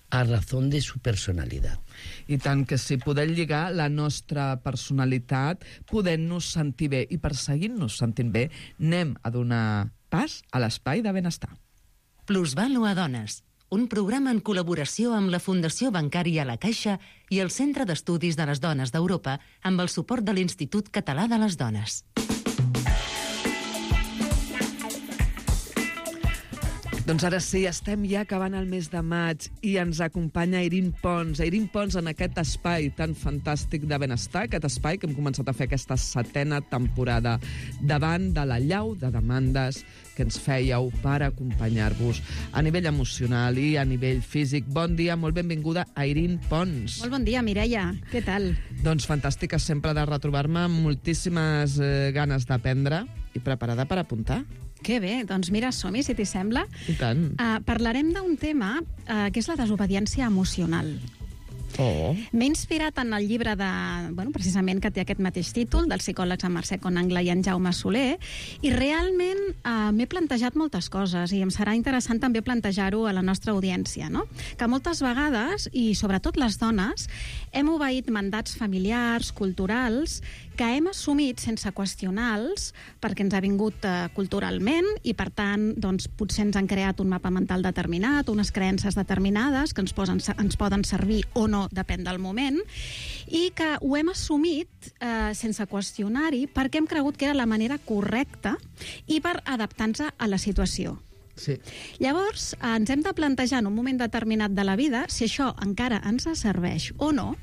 a razón de su personalitat. I tant que si podem lligar la nostra personalitat, podent-nos sentir bé. I per seguir-nos sentint bé, anem a donar pas a l'espai de benestar. Plusvalua Dones, un programa en col·laboració amb la Fundació Bancària La Caixa i el Centre d'Estudis de les Dones d'Europa amb el suport de l'Institut Català de les Dones. Doncs ara sí, estem ja acabant el mes de maig i ens acompanya Irín Pons. Irín Pons en aquest espai tan fantàstic de benestar, aquest espai que hem començat a fer aquesta setena temporada davant de la llau de demandes que ens fèieu per acompanyar-vos a nivell emocional i a nivell físic. Bon dia, molt benvinguda a Irín Pons. Molt bon dia, Mireia. Què tal? Doncs fantàstica sempre de retrobar-me amb moltíssimes eh, ganes d'aprendre i preparada per apuntar. Que bé, doncs mira, som-hi, si t'hi sembla. I tant. Uh, parlarem d'un tema uh, que és la desobediència emocional. Oh. M'he inspirat en el llibre de, bueno, precisament que té aquest mateix títol, dels psicòlegs en Mercè Conangla i en Jaume Soler, i realment eh, m'he plantejat moltes coses i em serà interessant també plantejar-ho a la nostra audiència, no? Que moltes vegades, i sobretot les dones, hem obeït mandats familiars, culturals, que hem assumit sense qüestionar-los perquè ens ha vingut eh, culturalment i, per tant, doncs, potser ens han creat un mapa mental determinat, unes creences determinades que ens, posen, ens poden servir o no, depèn del moment, i que ho hem assumit eh, sense qüestionar-hi perquè hem cregut que era la manera correcta i per adaptar-nos a la situació. Sí. Llavors, eh, ens hem de plantejar en un moment determinat de la vida si això encara ens serveix o no,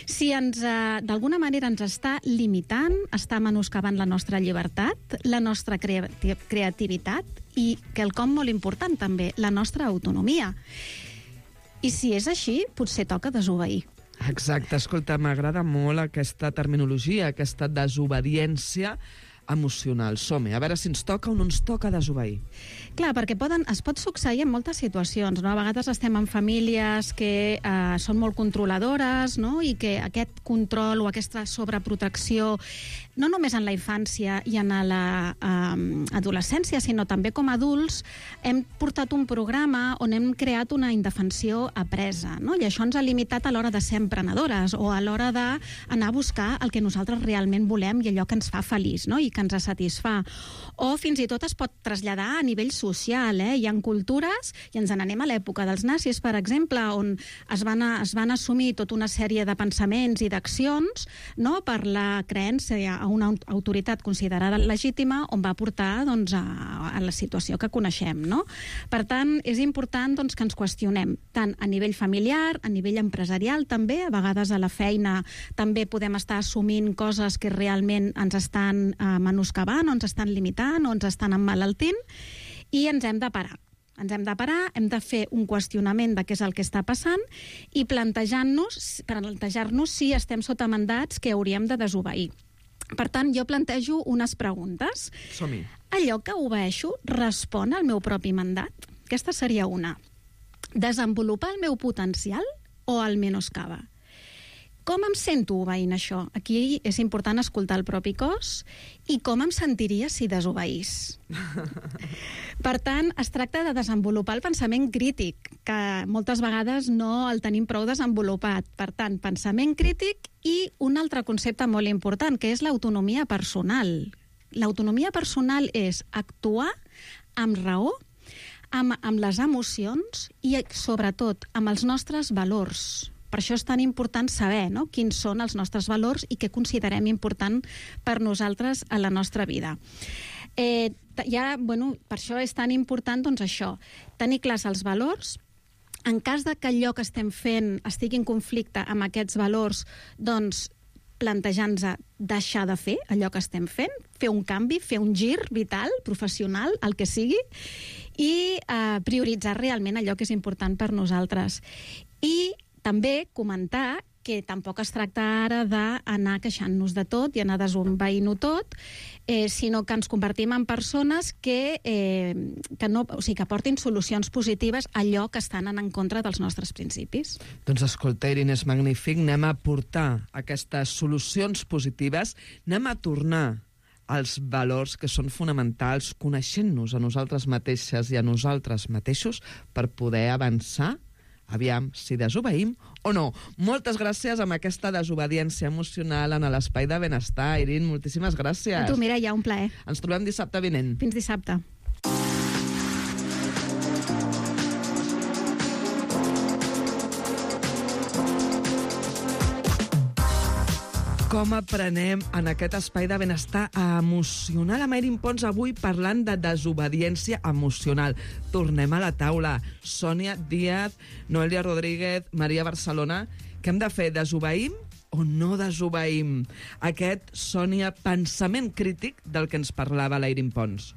si ens, eh, d'alguna manera ens està limitant, està menoscabant la nostra llibertat, la nostra creati- creativitat i, quelcom molt important també, la nostra autonomia. I si és així, potser toca desobeir. Exacte, escolta, m'agrada molt aquesta terminologia, aquesta desobediència emocional. Som-hi, a veure si ens toca o no ens toca desobeir. Clar, perquè poden, es pot succeir en moltes situacions, no? A vegades estem en famílies que eh, són molt controladores, no? I que aquest control o aquesta sobreprotecció, no només en la infància i en la eh, adolescència, sinó també com a adults, hem portat un programa on hem creat una indefensió apresa, no? I això ens ha limitat a l'hora de ser emprenedores o a l'hora d'anar a buscar el que nosaltres realment volem i allò que ens fa feliç, no? I que ens satisfà. O fins i tot es pot traslladar a nivell social, eh? Hi ha cultures, i ens n'anem a l'època dels nazis, per exemple, on es van, a, es van assumir tota una sèrie de pensaments i d'accions, no?, per la creença a una autoritat considerada legítima, on va portar, doncs, a, a la situació que coneixem, no? Per tant, és important, doncs, que ens qüestionem, tant a nivell familiar, a nivell empresarial també, a vegades a la feina també podem estar assumint coses que realment ens estan eh, menoscabant, o ens estan limitant, o ens estan emmalaltint, i ens hem de parar. Ens hem de parar, hem de fer un qüestionament de què és el que està passant i plantejar-nos plantejar-nos si estem sota mandats que hauríem de desobeir. Per tant, jo plantejo unes preguntes. Som-hi. Allò que obeeixo respon al meu propi mandat? Aquesta seria una. Desenvolupar el meu potencial o el menoscaba? Com em sento obeint això? Aquí és important escoltar el propi cos i com em sentiria si desobeís. Per tant, es tracta de desenvolupar el pensament crític, que moltes vegades no el tenim prou desenvolupat. Per tant, pensament crític i un altre concepte molt important, que és l'autonomia personal. L'autonomia personal és actuar amb raó, amb, amb les emocions i, sobretot, amb els nostres valors. Per això és tan important saber, no?, quins són els nostres valors i què considerem important per nosaltres a la nostra vida. Eh, ja, bueno, per això és tan important, doncs, això, tenir clars els valors. En cas de que allò que estem fent estigui en conflicte amb aquests valors, doncs, plantejar-nos deixar de fer allò que estem fent, fer un canvi, fer un gir vital, professional, el que sigui, i eh, prioritzar realment allò que és important per nosaltres. I també comentar que tampoc es tracta ara d'anar queixant-nos de tot i anar desobeint-ho tot, eh, sinó que ens convertim en persones que, eh, que, no, o sigui, que portin solucions positives a allò que estan en contra dels nostres principis. Doncs escolta, Irene, és magnífic. Anem a portar aquestes solucions positives, anem a tornar als valors que són fonamentals, coneixent-nos a nosaltres mateixes i a nosaltres mateixos per poder avançar. Aviam si desobeïm o no. Moltes gràcies amb aquesta desobediència emocional en l'Espai de Benestar. Irene, moltíssimes gràcies. A tu, Mireia, un plaer. Ens trobem dissabte vinent. Fins dissabte. Com aprenem en aquest espai de benestar emocional amb Irene Pons avui parlant de desobediència emocional. Tornem a la taula. Sònia Díaz, Noelia Rodríguez, Maria Barcelona. Què hem de fer? Desobeïm o no desobeïm? Aquest, Sònia, pensament crític del que ens parlava la Irene Pons.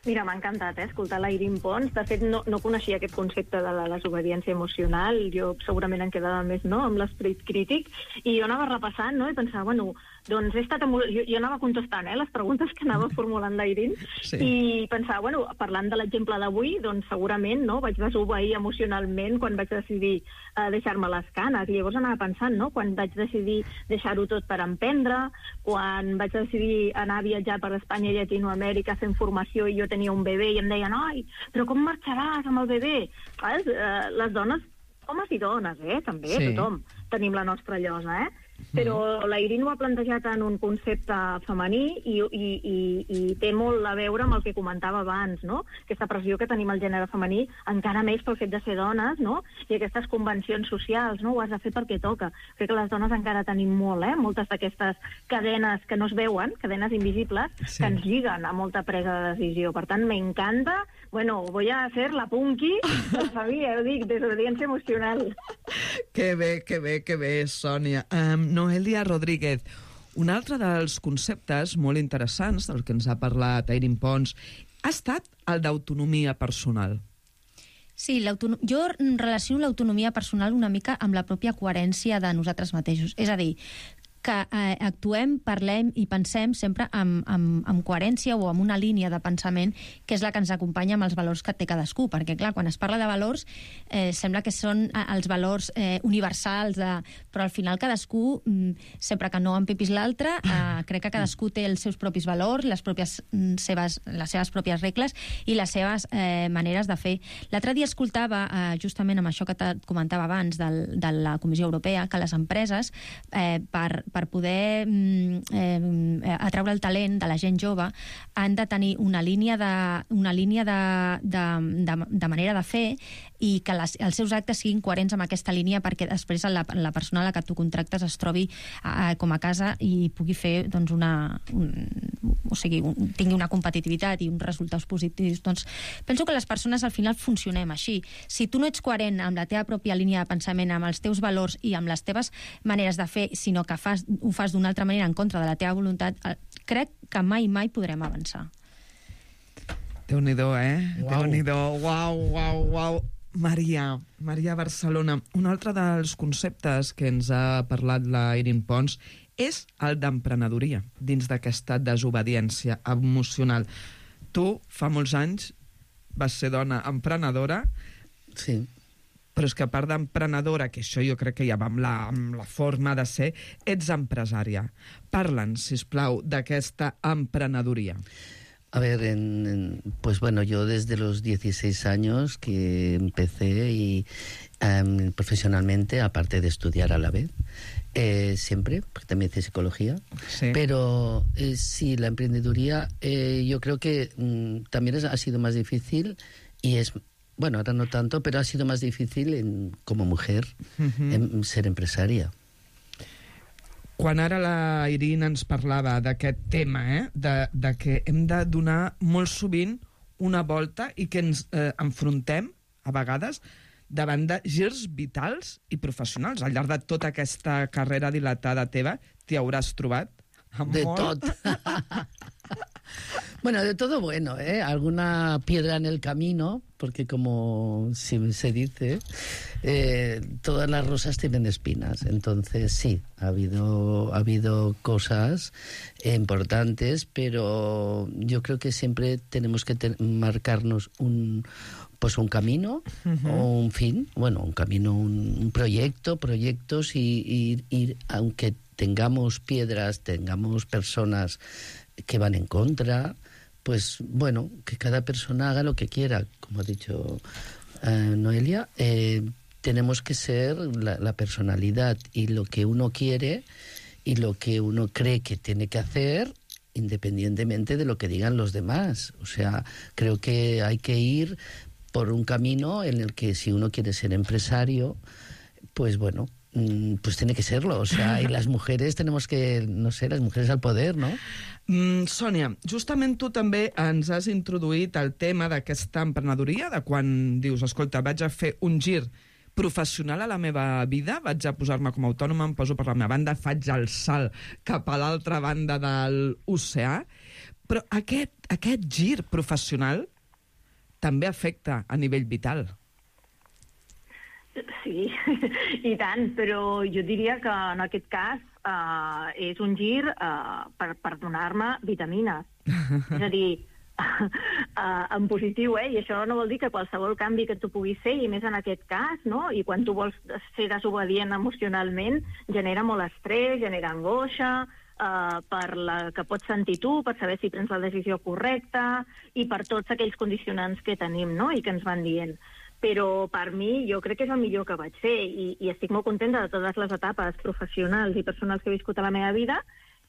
Mira, m'ha encantat eh, escoltar la Irene Pons. De fet, no, no coneixia aquest concepte de la desobediència emocional. Jo segurament em quedava més no, amb l'esperit crític. I jo anava repassant no, i pensava, bueno, doncs he estat... Jo, jo anava contestant eh, les preguntes que anava formulant la Irene sí. I pensava, bueno, parlant de l'exemple d'avui, doncs segurament no, vaig desobeir emocionalment quan vaig decidir eh, deixar-me les canes. I llavors anava pensant, no, quan vaig decidir deixar-ho tot per emprendre, quan vaig decidir anar a viatjar per Espanya i Llatinoamèrica fent formació i jo tenia un bebè i em deien, ai, però com marxaràs amb el bebè? Saps? Eh, les dones, homes i dones, eh, també, sí. Tothom tenim la nostra llosa, eh? Però la Irene ho ha plantejat en un concepte femení i, i, i, i té molt a veure amb el que comentava abans, no? Aquesta pressió que tenim al gènere femení, encara més pel fet de ser dones, no? I aquestes convencions socials, no? Ho has de fer perquè toca. Crec que les dones encara tenim molt, eh? Moltes d'aquestes cadenes que no es veuen, cadenes invisibles, sí. Que ens lliguen a molta presa de decisió. Per tant, m'encanta. Bueno, voy a hacer la punky de la família, ho dic, desobediència emocional. Que bé, que bé, que bé, Sònia. Um, Noelia Rodríguez, un altre dels conceptes molt interessants del que ens ha parlat Irene Pons ha estat el d'autonomia personal. Sí, jo relaciono l'autonomia personal una mica amb la pròpia coherència de nosaltres mateixos. És a dir, que eh, actuem, parlem i pensem sempre amb, amb, amb coherència o amb una línia de pensament que és la que ens acompanya amb els valors que té cadascú, perquè clar, quan es parla de valors eh, sembla que són eh, els valors eh, universals, de... però al final cadascú, mm, sempre que no empipis l'altre, eh, crec que cadascú té els seus propis valors, les, pròpies, mm, seves, les seves pròpies regles i les seves eh, maneres de fer. L'altre dia escoltava, eh, justament amb això que et comentava abans del, de la Comissió Europea, que les empreses, eh, per per poder eh, atraure el talent de la gent jove, han de tenir una línia de, una línia de, de, de, de manera de fer i que les, els seus actes siguin coherents amb aquesta línia perquè després la, la persona a la que tu contractes es trobi eh, com a casa i pugui fer doncs, una, un, o sigui, un, tingui una competitivitat i uns resultats positius. Doncs penso que les persones al final funcionem així. Si tu no ets coherent amb la teva pròpia línia de pensament, amb els teus valors i amb les teves maneres de fer, sinó que fas ho fas d'una altra manera en contra de la teva voluntat, crec que mai, mai podrem avançar. Déu-n'hi-do, eh? Uau. Déu-n'hi-do. Uau, uau, uau. Maria, Maria Barcelona. Un altre dels conceptes que ens ha parlat la Irin Pons és el d'emprenedoria, dins d'aquesta desobediència emocional. Tu, fa molts anys, vas ser dona emprenedora. Sí. Però és que a part d'emprenedora, que això jo crec que ja va amb la, amb la forma de ser, ets empresària. Parla'ns, sisplau, d'aquesta emprenedoria. A ver, en, en, pues bueno, yo desde los dieciséis años que empecé y um, profesionalmente, aparte de estudiar a la vez, eh, siempre, porque también hice psicología, sí. Pero eh, sí, la emprendeduría eh, yo creo que mm, también es, ha sido más difícil y es... Bueno, ahora no tanto, pero ha sido más difícil en, como mujer uh-huh. en ser empresaria. Quan ara la Irin ens parlava d'aquest tema, eh, de, de que hem de donar molt sovint una volta i que ens eh, enfrontem, a vegades, davant de girs vitals i professionals. Al llarg de tota aquesta carrera dilatada teva, t'hi hauràs trobat amb de molt... tot. Bueno, de todo bueno, ¿eh? Alguna piedra en el camino, porque como se dice, eh, todas las rosas tienen espinas. Entonces, sí, ha habido, ha habido cosas importantes, pero yo creo que siempre tenemos que te- marcarnos un, pues un camino uh-huh. o un fin, bueno, un camino, un, un proyecto, proyectos y, y, y aunque tengamos piedras, tengamos personas que van en contra, pues bueno, que cada persona haga lo que quiera, como ha dicho eh, Noelia, eh, tenemos que ser la, la personalidad y lo que uno quiere y lo que uno cree que tiene que hacer, independientemente de lo que digan los demás. O sea, creo que hay que ir por un camino en el que si uno quiere ser empresario, pues bueno, pues tiene que serlo, o sea, y las mujeres tenemos que, no sé, las mujeres al poder, ¿no? Mm, Sònia, justament tu també ens has introduït el tema d'aquesta emprenedoria, de quan dius, escolta, vaig a fer un gir professional a la meva vida, vaig a posar-me com a autònoma, em poso per la meva banda, faig el salt cap a l'altra banda de l'oceà, però aquest, aquest gir professional també afecta a nivell vital. Sí, i tant, però jo diria que en aquest cas uh, és un gir uh, per, per donar-me vitamines. És a dir, uh, en positiu, eh? I això no vol dir que qualsevol canvi que tu puguis fer, i més en aquest cas, no? I quan tu vols ser desobedient emocionalment, genera molt estrès, genera angoixa, uh, per la que pots sentir tu, per saber si prens la decisió correcta, i per tots aquells condicionants que tenim, no? I que ens van dient. Però per mi jo crec que és el millor que vaig fer i, i estic molt contenta de totes les etapes professionals i personals que he viscut a la meva vida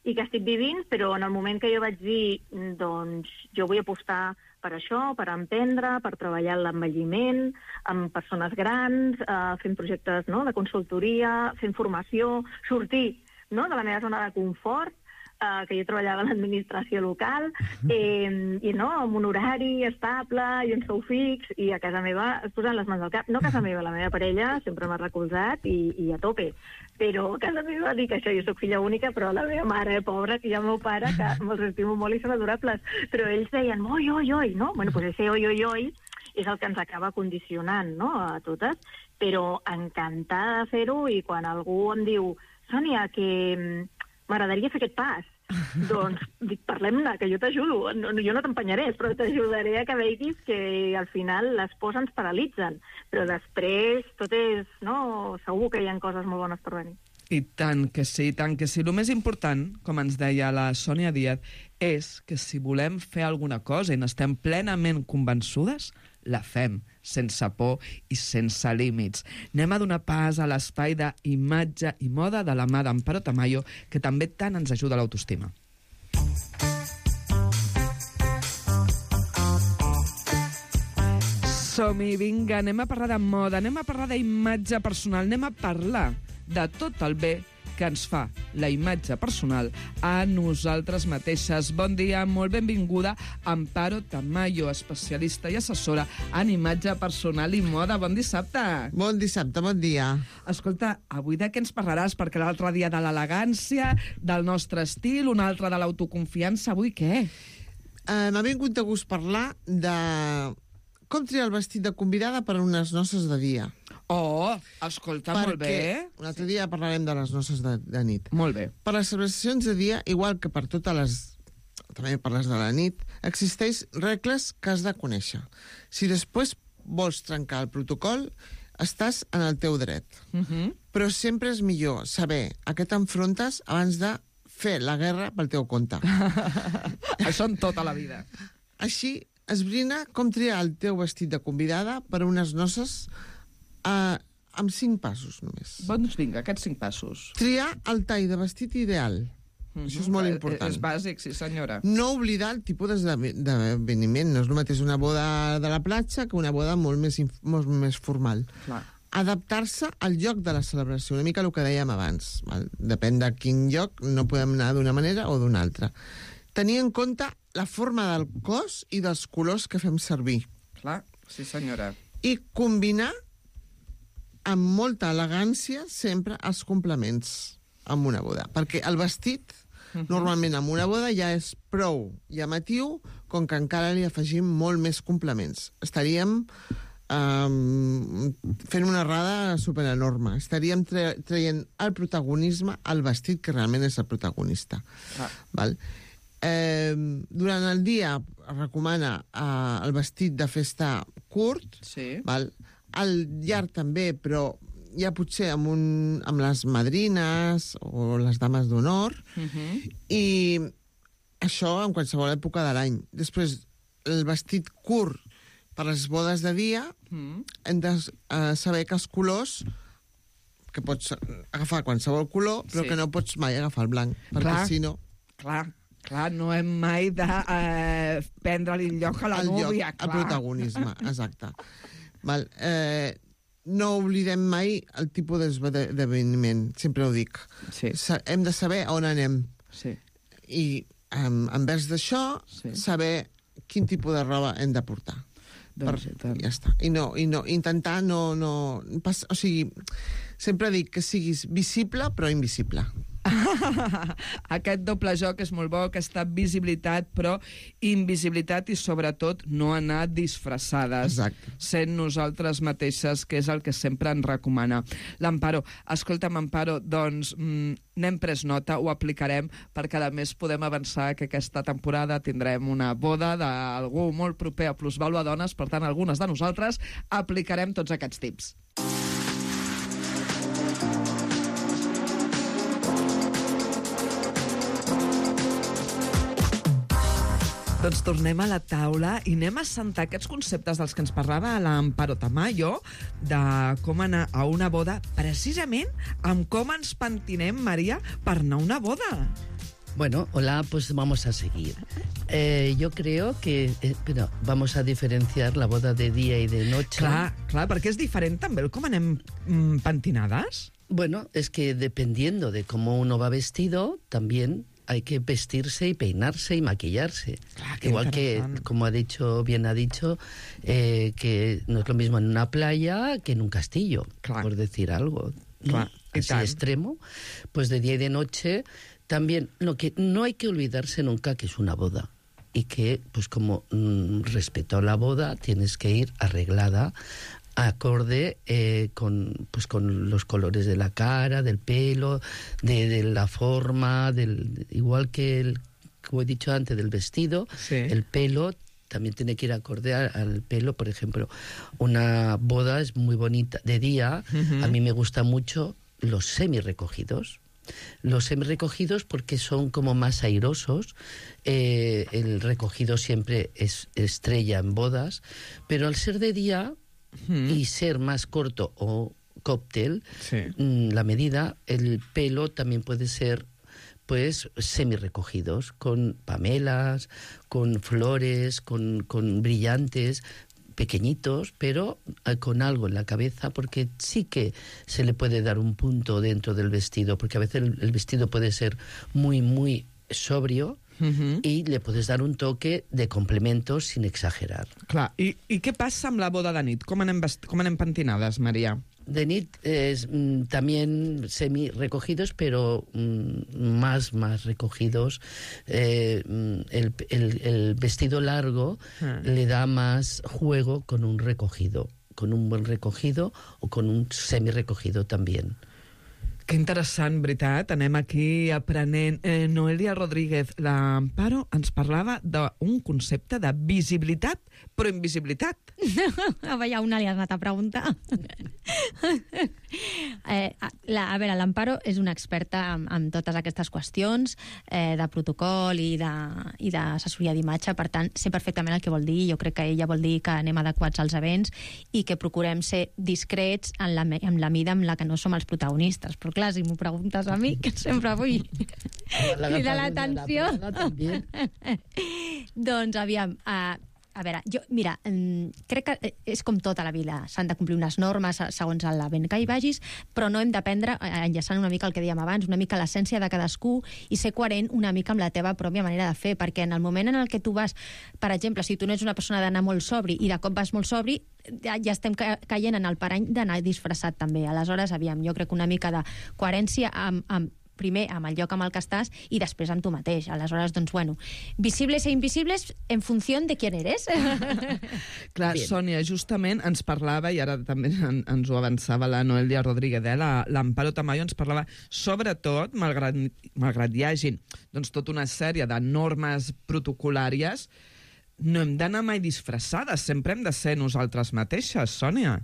i que estic vivint, però en el moment que jo vaig dir doncs jo vull apostar per això, per emprendre, per treballar en l'envelliment, amb persones grans, eh, fent projectes no, de consultoria, fent formació, sortir no, de la meva zona de confort, Uh, que jo treballava a l'administració local, eh, i no, amb un horari estable i un sou fix, i a casa meva es posen les mans al cap. No a casa meva, la meva parella sempre m'ha recolzat i, i a tope. Però a casa meva dic això, jo soc filla única, però la meva mare, pobra, que hi ha el meu pare, que me'ls estimo molt i són adorables, però ells deien, oi, oi, oi, no? Bueno, doncs ese oi, oi, oi és el que ens acaba condicionant, no?, a totes, però encantada de fer-ho, i quan algú em diu Sònia, que m'agradaria fer aquest pas, doncs dic, parlem-ne, que jo t'ajudo, no, jo no t'empenyaré, però t'ajudaré a que veguis que al final les pors ens paralitzen, però després tot és, no, segur que hi ha coses molt bones per venir. I tant que sí, tant que sí. El més important, com ens deia la Sònia Díaz, és que si volem fer alguna cosa i n'estem plenament convençudes, la fem, sense por i sense límits. Anem a donar pas a l'espai d'imatge i moda de la mà d'Amparo Tamayo, que també tant ens ajuda a l'autoestima. Som-hi, vinga, anem a parlar de moda, anem a parlar d'imatge personal, anem a parlar de tot el bé que ens fa la imatge personal a nosaltres mateixes. Bon dia, molt benvinguda, Amparo Tamayo, especialista i assessora en imatge personal i moda. Bon dissabte. Bon dissabte, bon dia. Escolta, avui de què ens parlaràs? Perquè l'altre dia de l'elegància, del nostre estil, un altre de l'autoconfiança. Avui què? Uh, M'ha vingut de gust parlar de com triar el vestit de convidada per a unes noces de dia. Oh, escolta, Perquè molt bé. un altre dia parlarem de les noces de, de nit. Molt bé. Per les celebracions de dia, igual que per totes les... també per les de la nit, existeix regles que has de conèixer. Si després vols trencar el protocol, estàs en el teu dret. Uh-huh. Però sempre és millor saber a què t'enfrontes abans de fer la guerra pel teu compte. Això en tota la vida. Així, esbrina com triar el teu vestit de convidada per a unes noces uh, amb cinc passos només. Doncs vinga, aquests cinc passos. Triar el tall de vestit ideal. Mm-hmm. Això és molt important. És bàsic, sí senyora. No oblidar el tipus d'esdeveniment. No és el mateix una boda de la platja que una boda molt més, molt més formal. Clar. Adaptar-se al lloc de la celebració, una mica el que dèiem abans. Val? Depèn de quin lloc, no podem anar d'una manera o d'una altra. Tenir en compte la forma del cos i dels colors que fem servir. Clar, sí senyora. I combinar amb molta elegància sempre els complements amb una boda. Perquè el vestit, uh-huh, normalment amb una boda ja és prou llamatiu, com que encara li afegim molt més complements. Estaríem um, fent una errada superenorme. Estaríem tra traient el protagonisme al vestit, que realment és el protagonista. Ah. Val? Eh, durant el dia es recomana eh, el vestit de festa curt, sí, val? Al llarg també, però ja potser amb, un, amb les madrines o les dames d'honor, uh-huh, i això en qualsevol època de l'any. Després, el vestit curt per les bodes de dia, uh-huh, hem de uh, saber que els colors, que pots agafar qualsevol color, però sí, que no pots mai agafar el blanc, perquè clar, si no... Clar, clar, no hem mai de eh, prendre-li el lloc a la el núvia. Lloc, el protagonisme, exacte. Val, eh, no oblidem mai el tipus d'esdeveniment, sempre ho dic. Sí. Sa hem de saber on anem. Sí. I um, envers d'això, sí, saber quin tipus de roba hem de portar. Doncs, per, ja està. I no, i no, intentar no... no pas, o sigui, sempre dic que siguis visible però invisible. Aquest doble joc és molt bo, aquesta visibilitat però invisibilitat, i sobretot no anar disfressades. Exacte. Sent nosaltres mateixes, que és el que sempre ens recomana l'Amparo. Escolta'm, Amparo, doncs mm, n'hem pres nota, ho aplicarem, perquè a més podem avançar que aquesta temporada tindrem una boda d'algú molt proper a Plusvàlua Dones, per tant algunes de nosaltres aplicarem tots aquests tips. Doncs tornem a la taula i anem a sentar aquests conceptes dels que ens parlava l'Amparo Tamayo, de com anar a una boda, precisament amb com ens pentinem, Maria, per anar a una boda. Bueno, hola, pues vamos a seguir. Eh, yo creo que eh, pero vamos a diferenciar la boda de día y de noche. Clar, clar, perquè és diferent també el com anem mm, pentinades. Bueno, es que dependiendo de cómo uno va vestido, también hay que vestirse y peinarse y maquillarse. Claro, igual que, como ha dicho, bien ha dicho, eh, que no es lo mismo en una playa que en un castillo, claro, por decir algo, ¿no? Claro, así extremo. Pues de día y de noche también, lo que no hay que olvidarse nunca que es una boda. y que, pues como mm, respetó la boda, tienes que ir arreglada acorde eh, con, pues con los colores de la cara, del pelo, de, de la forma, del, igual que, el, como he dicho antes, del vestido, sí. El pelo también tiene que ir acorde al pelo. Por ejemplo, una boda es muy bonita de día. Uh-huh. A mí me gustan mucho los semi-recogidos. Los semi-recogidos porque son como más airosos. Eh, el recogido siempre es estrella en bodas, pero al ser de día uh-huh. y ser más corto o cóctel, sí. la medida, el pelo también puede ser pues semi-recogidos, con pamelas, con flores, con, con brillantes, pequeñitos, pero con algo en la cabeza, porque sí que se le puede dar un punto dentro del vestido, porque a veces el, el vestido puede ser muy, muy sobrio, uh-huh. i le podes dar un toque de complemento sin exagerar. Clar, i, i què passa amb la boda de nit? Com anem, vest... Com anem pentinades, Maria? De nit es mm, también semi recogidos, pero mm, más, más recogidos. Eh, el, el, el vestido largo ah. le da más juego con un recogido, con un buen recogido o con un semi recogido también. Que interessant, veritat. Anem aquí aprenent. Eh, Noelia Rodríguez, l'Amparo ens parlava d'un concepte de visibilitat, però invisibilitat. A veure, una li has anat a preguntar. eh, la, a veure, l'Amparo és una experta en, en totes aquestes qüestions eh, de protocol i d'assessoria d'imatge, per tant, sé perfectament el que vol dir. Jo crec que ella vol dir que anem adequats als events i que procurem ser discrets en la, en la mida en la que no som els protagonistes. Però clar, si m'ho preguntes a mi, que sempre vull cridar l'atenció. Doncs, aviam, uh, a veure, jo, mira, crec que és com tota la vida. S'han de complir unes normes segons l'event que hi vagis, però no hem d'aprendre, enllaçant una mica el que dèiem abans, una mica l'essència de cadascú i ser coherent una mica amb la teva pròpia manera de fer, perquè en el moment en el que tu vas, per exemple, si tu no ets una persona d'anar molt sobri i de cop vas molt sobri, ja, ja estem caient en el parany d'anar disfressat també. Aleshores, aviam, jo crec que una mica de coherència amb, amb primer amb el lloc amb el que estàs i després amb tu mateix. Aleshores, doncs, bueno, visibles e invisibles en funció de quién eres. Clar, bien. Sònia, justament ens parlava, i ara també en, ens ho avançava la Noelia Rodríguez, eh? l'Amparo Tamayo ens parlava, sobretot, malgrat, malgrat hi hagi doncs, tota una sèrie de normes protocolàries, no hem d'anar mai disfressades, sempre hem de ser nosaltres mateixes, Sònia.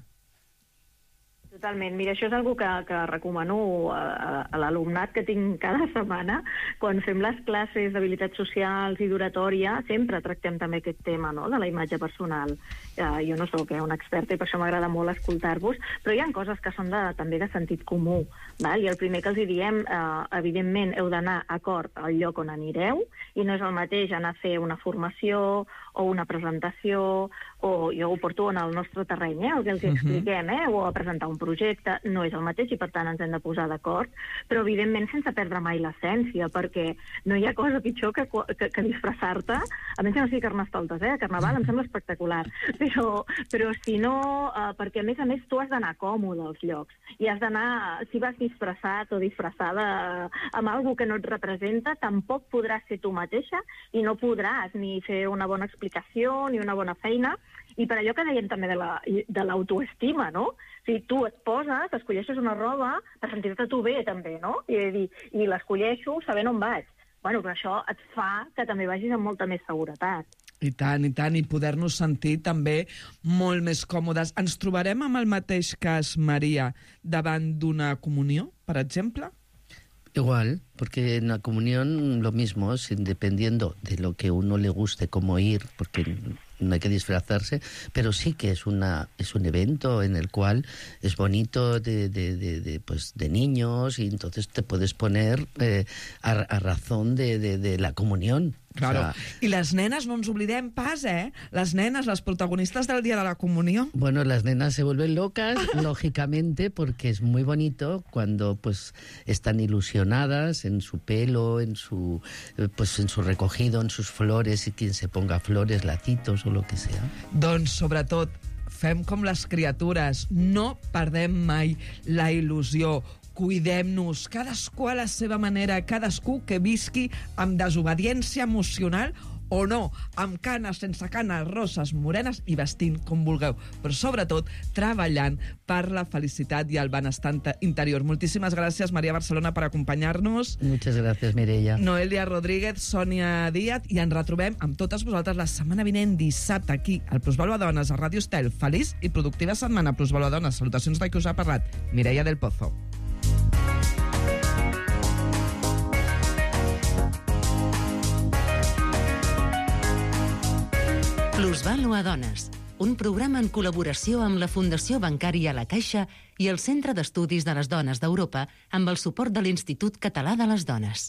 Totalment. Mira, això és una que, que recomano a, a l'alumnat que tinc cada setmana. Quan fem les classes d'habilitats socials i d'oratòria, sempre tractem també aquest tema, no?, de la imatge personal. Uh, jo no sóc eh, una experta i per això m'agrada molt escoltar-vos, però hi ha coses que són de, també de sentit comú. Val? I el primer que els diem, uh, evidentment, heu d'anar acord al lloc on anireu, i no és el mateix anar a fer una formació o una presentació, o jo ho porto en el nostre terreny, eh, el que els uh-huh. expliquem, eh, o a presentar un projecte, no és el mateix i per tant ens hem de posar d'acord, però evidentment sense perdre mai l'essència, perquè no hi ha cosa pitjor que, que, que disfressar-te, a menys que no sigui Carnestoltes, eh? Carnaval em sembla espectacular, però, però si no, eh, perquè a més a més tu has d'anar còmode als llocs, i has d'anar, si vas disfressat o disfressada eh, amb alguna que no et representa, tampoc podràs ser tu mateixa i no podràs ni fer una bona explicació ni una bona feina, i per allò que dèiem també de l'autoestima, no? O sigui, tu et poses, escolleixes una roba per sentir-te tu bé, també, no? I, i l'escolleixo sabent on vaig. Bueno, però això et fa que també vagis amb molta més seguretat. I tant, i tant, i poder-nos sentir també molt més còmodes. Ens trobarem amb el mateix cas, Maria, davant d'una comunió, per exemple? Igual, porque en la comunión lo mismo, dependiendo de lo que uno le guste, cómo ir, porque no hay que disfrazarse, pero sí que es una es un evento en el cual es bonito de, de, de, de, pues, de niños, y entonces te puedes poner eh, a, a razón de, de, de la comunión. Claro. O sea, I les nenes, no ens oblidem pas, eh? Les nenes, les protagonistas del día de la comunión. Bueno, las nenas se vuelven locas, lógicamente, porque es muy bonito cuando pues están ilusionadas en su pelo, en su pues en su recogido, en sus flores, y quien se ponga flores, lacitos o lo que sea. Doncs, sobretot, fem com les criatures, no perdem mai la il·lusió. Cuidem-nos, cadascú a la seva manera, cadascú que visqui amb desobediència emocional o no, amb canes, sense canes, roses, morenes i vestint com vulgueu, però sobretot treballant per la felicitat i el benestar interior. Moltíssimes gràcies, Maria Barcelona, per acompanyar-nos. Muchas gracias, Mireia. Noelia Rodríguez, Sònia Díaz, i ens retrobem amb totes vosaltres la setmana vinent, dissabte, aquí, al Plusvalua Dones, a Ràdio Estel. Feliç i productiva setmana, Plusvalua Dones. Salutacions de qui us ha parlat, Mireia del Pozo. Plusvalua Dones, un programa en col·laboració amb la Fundació Bancària La Caixa i el Centre d'Estudis de les Dones d'Europa amb el suport de l'Institut Català de les Dones.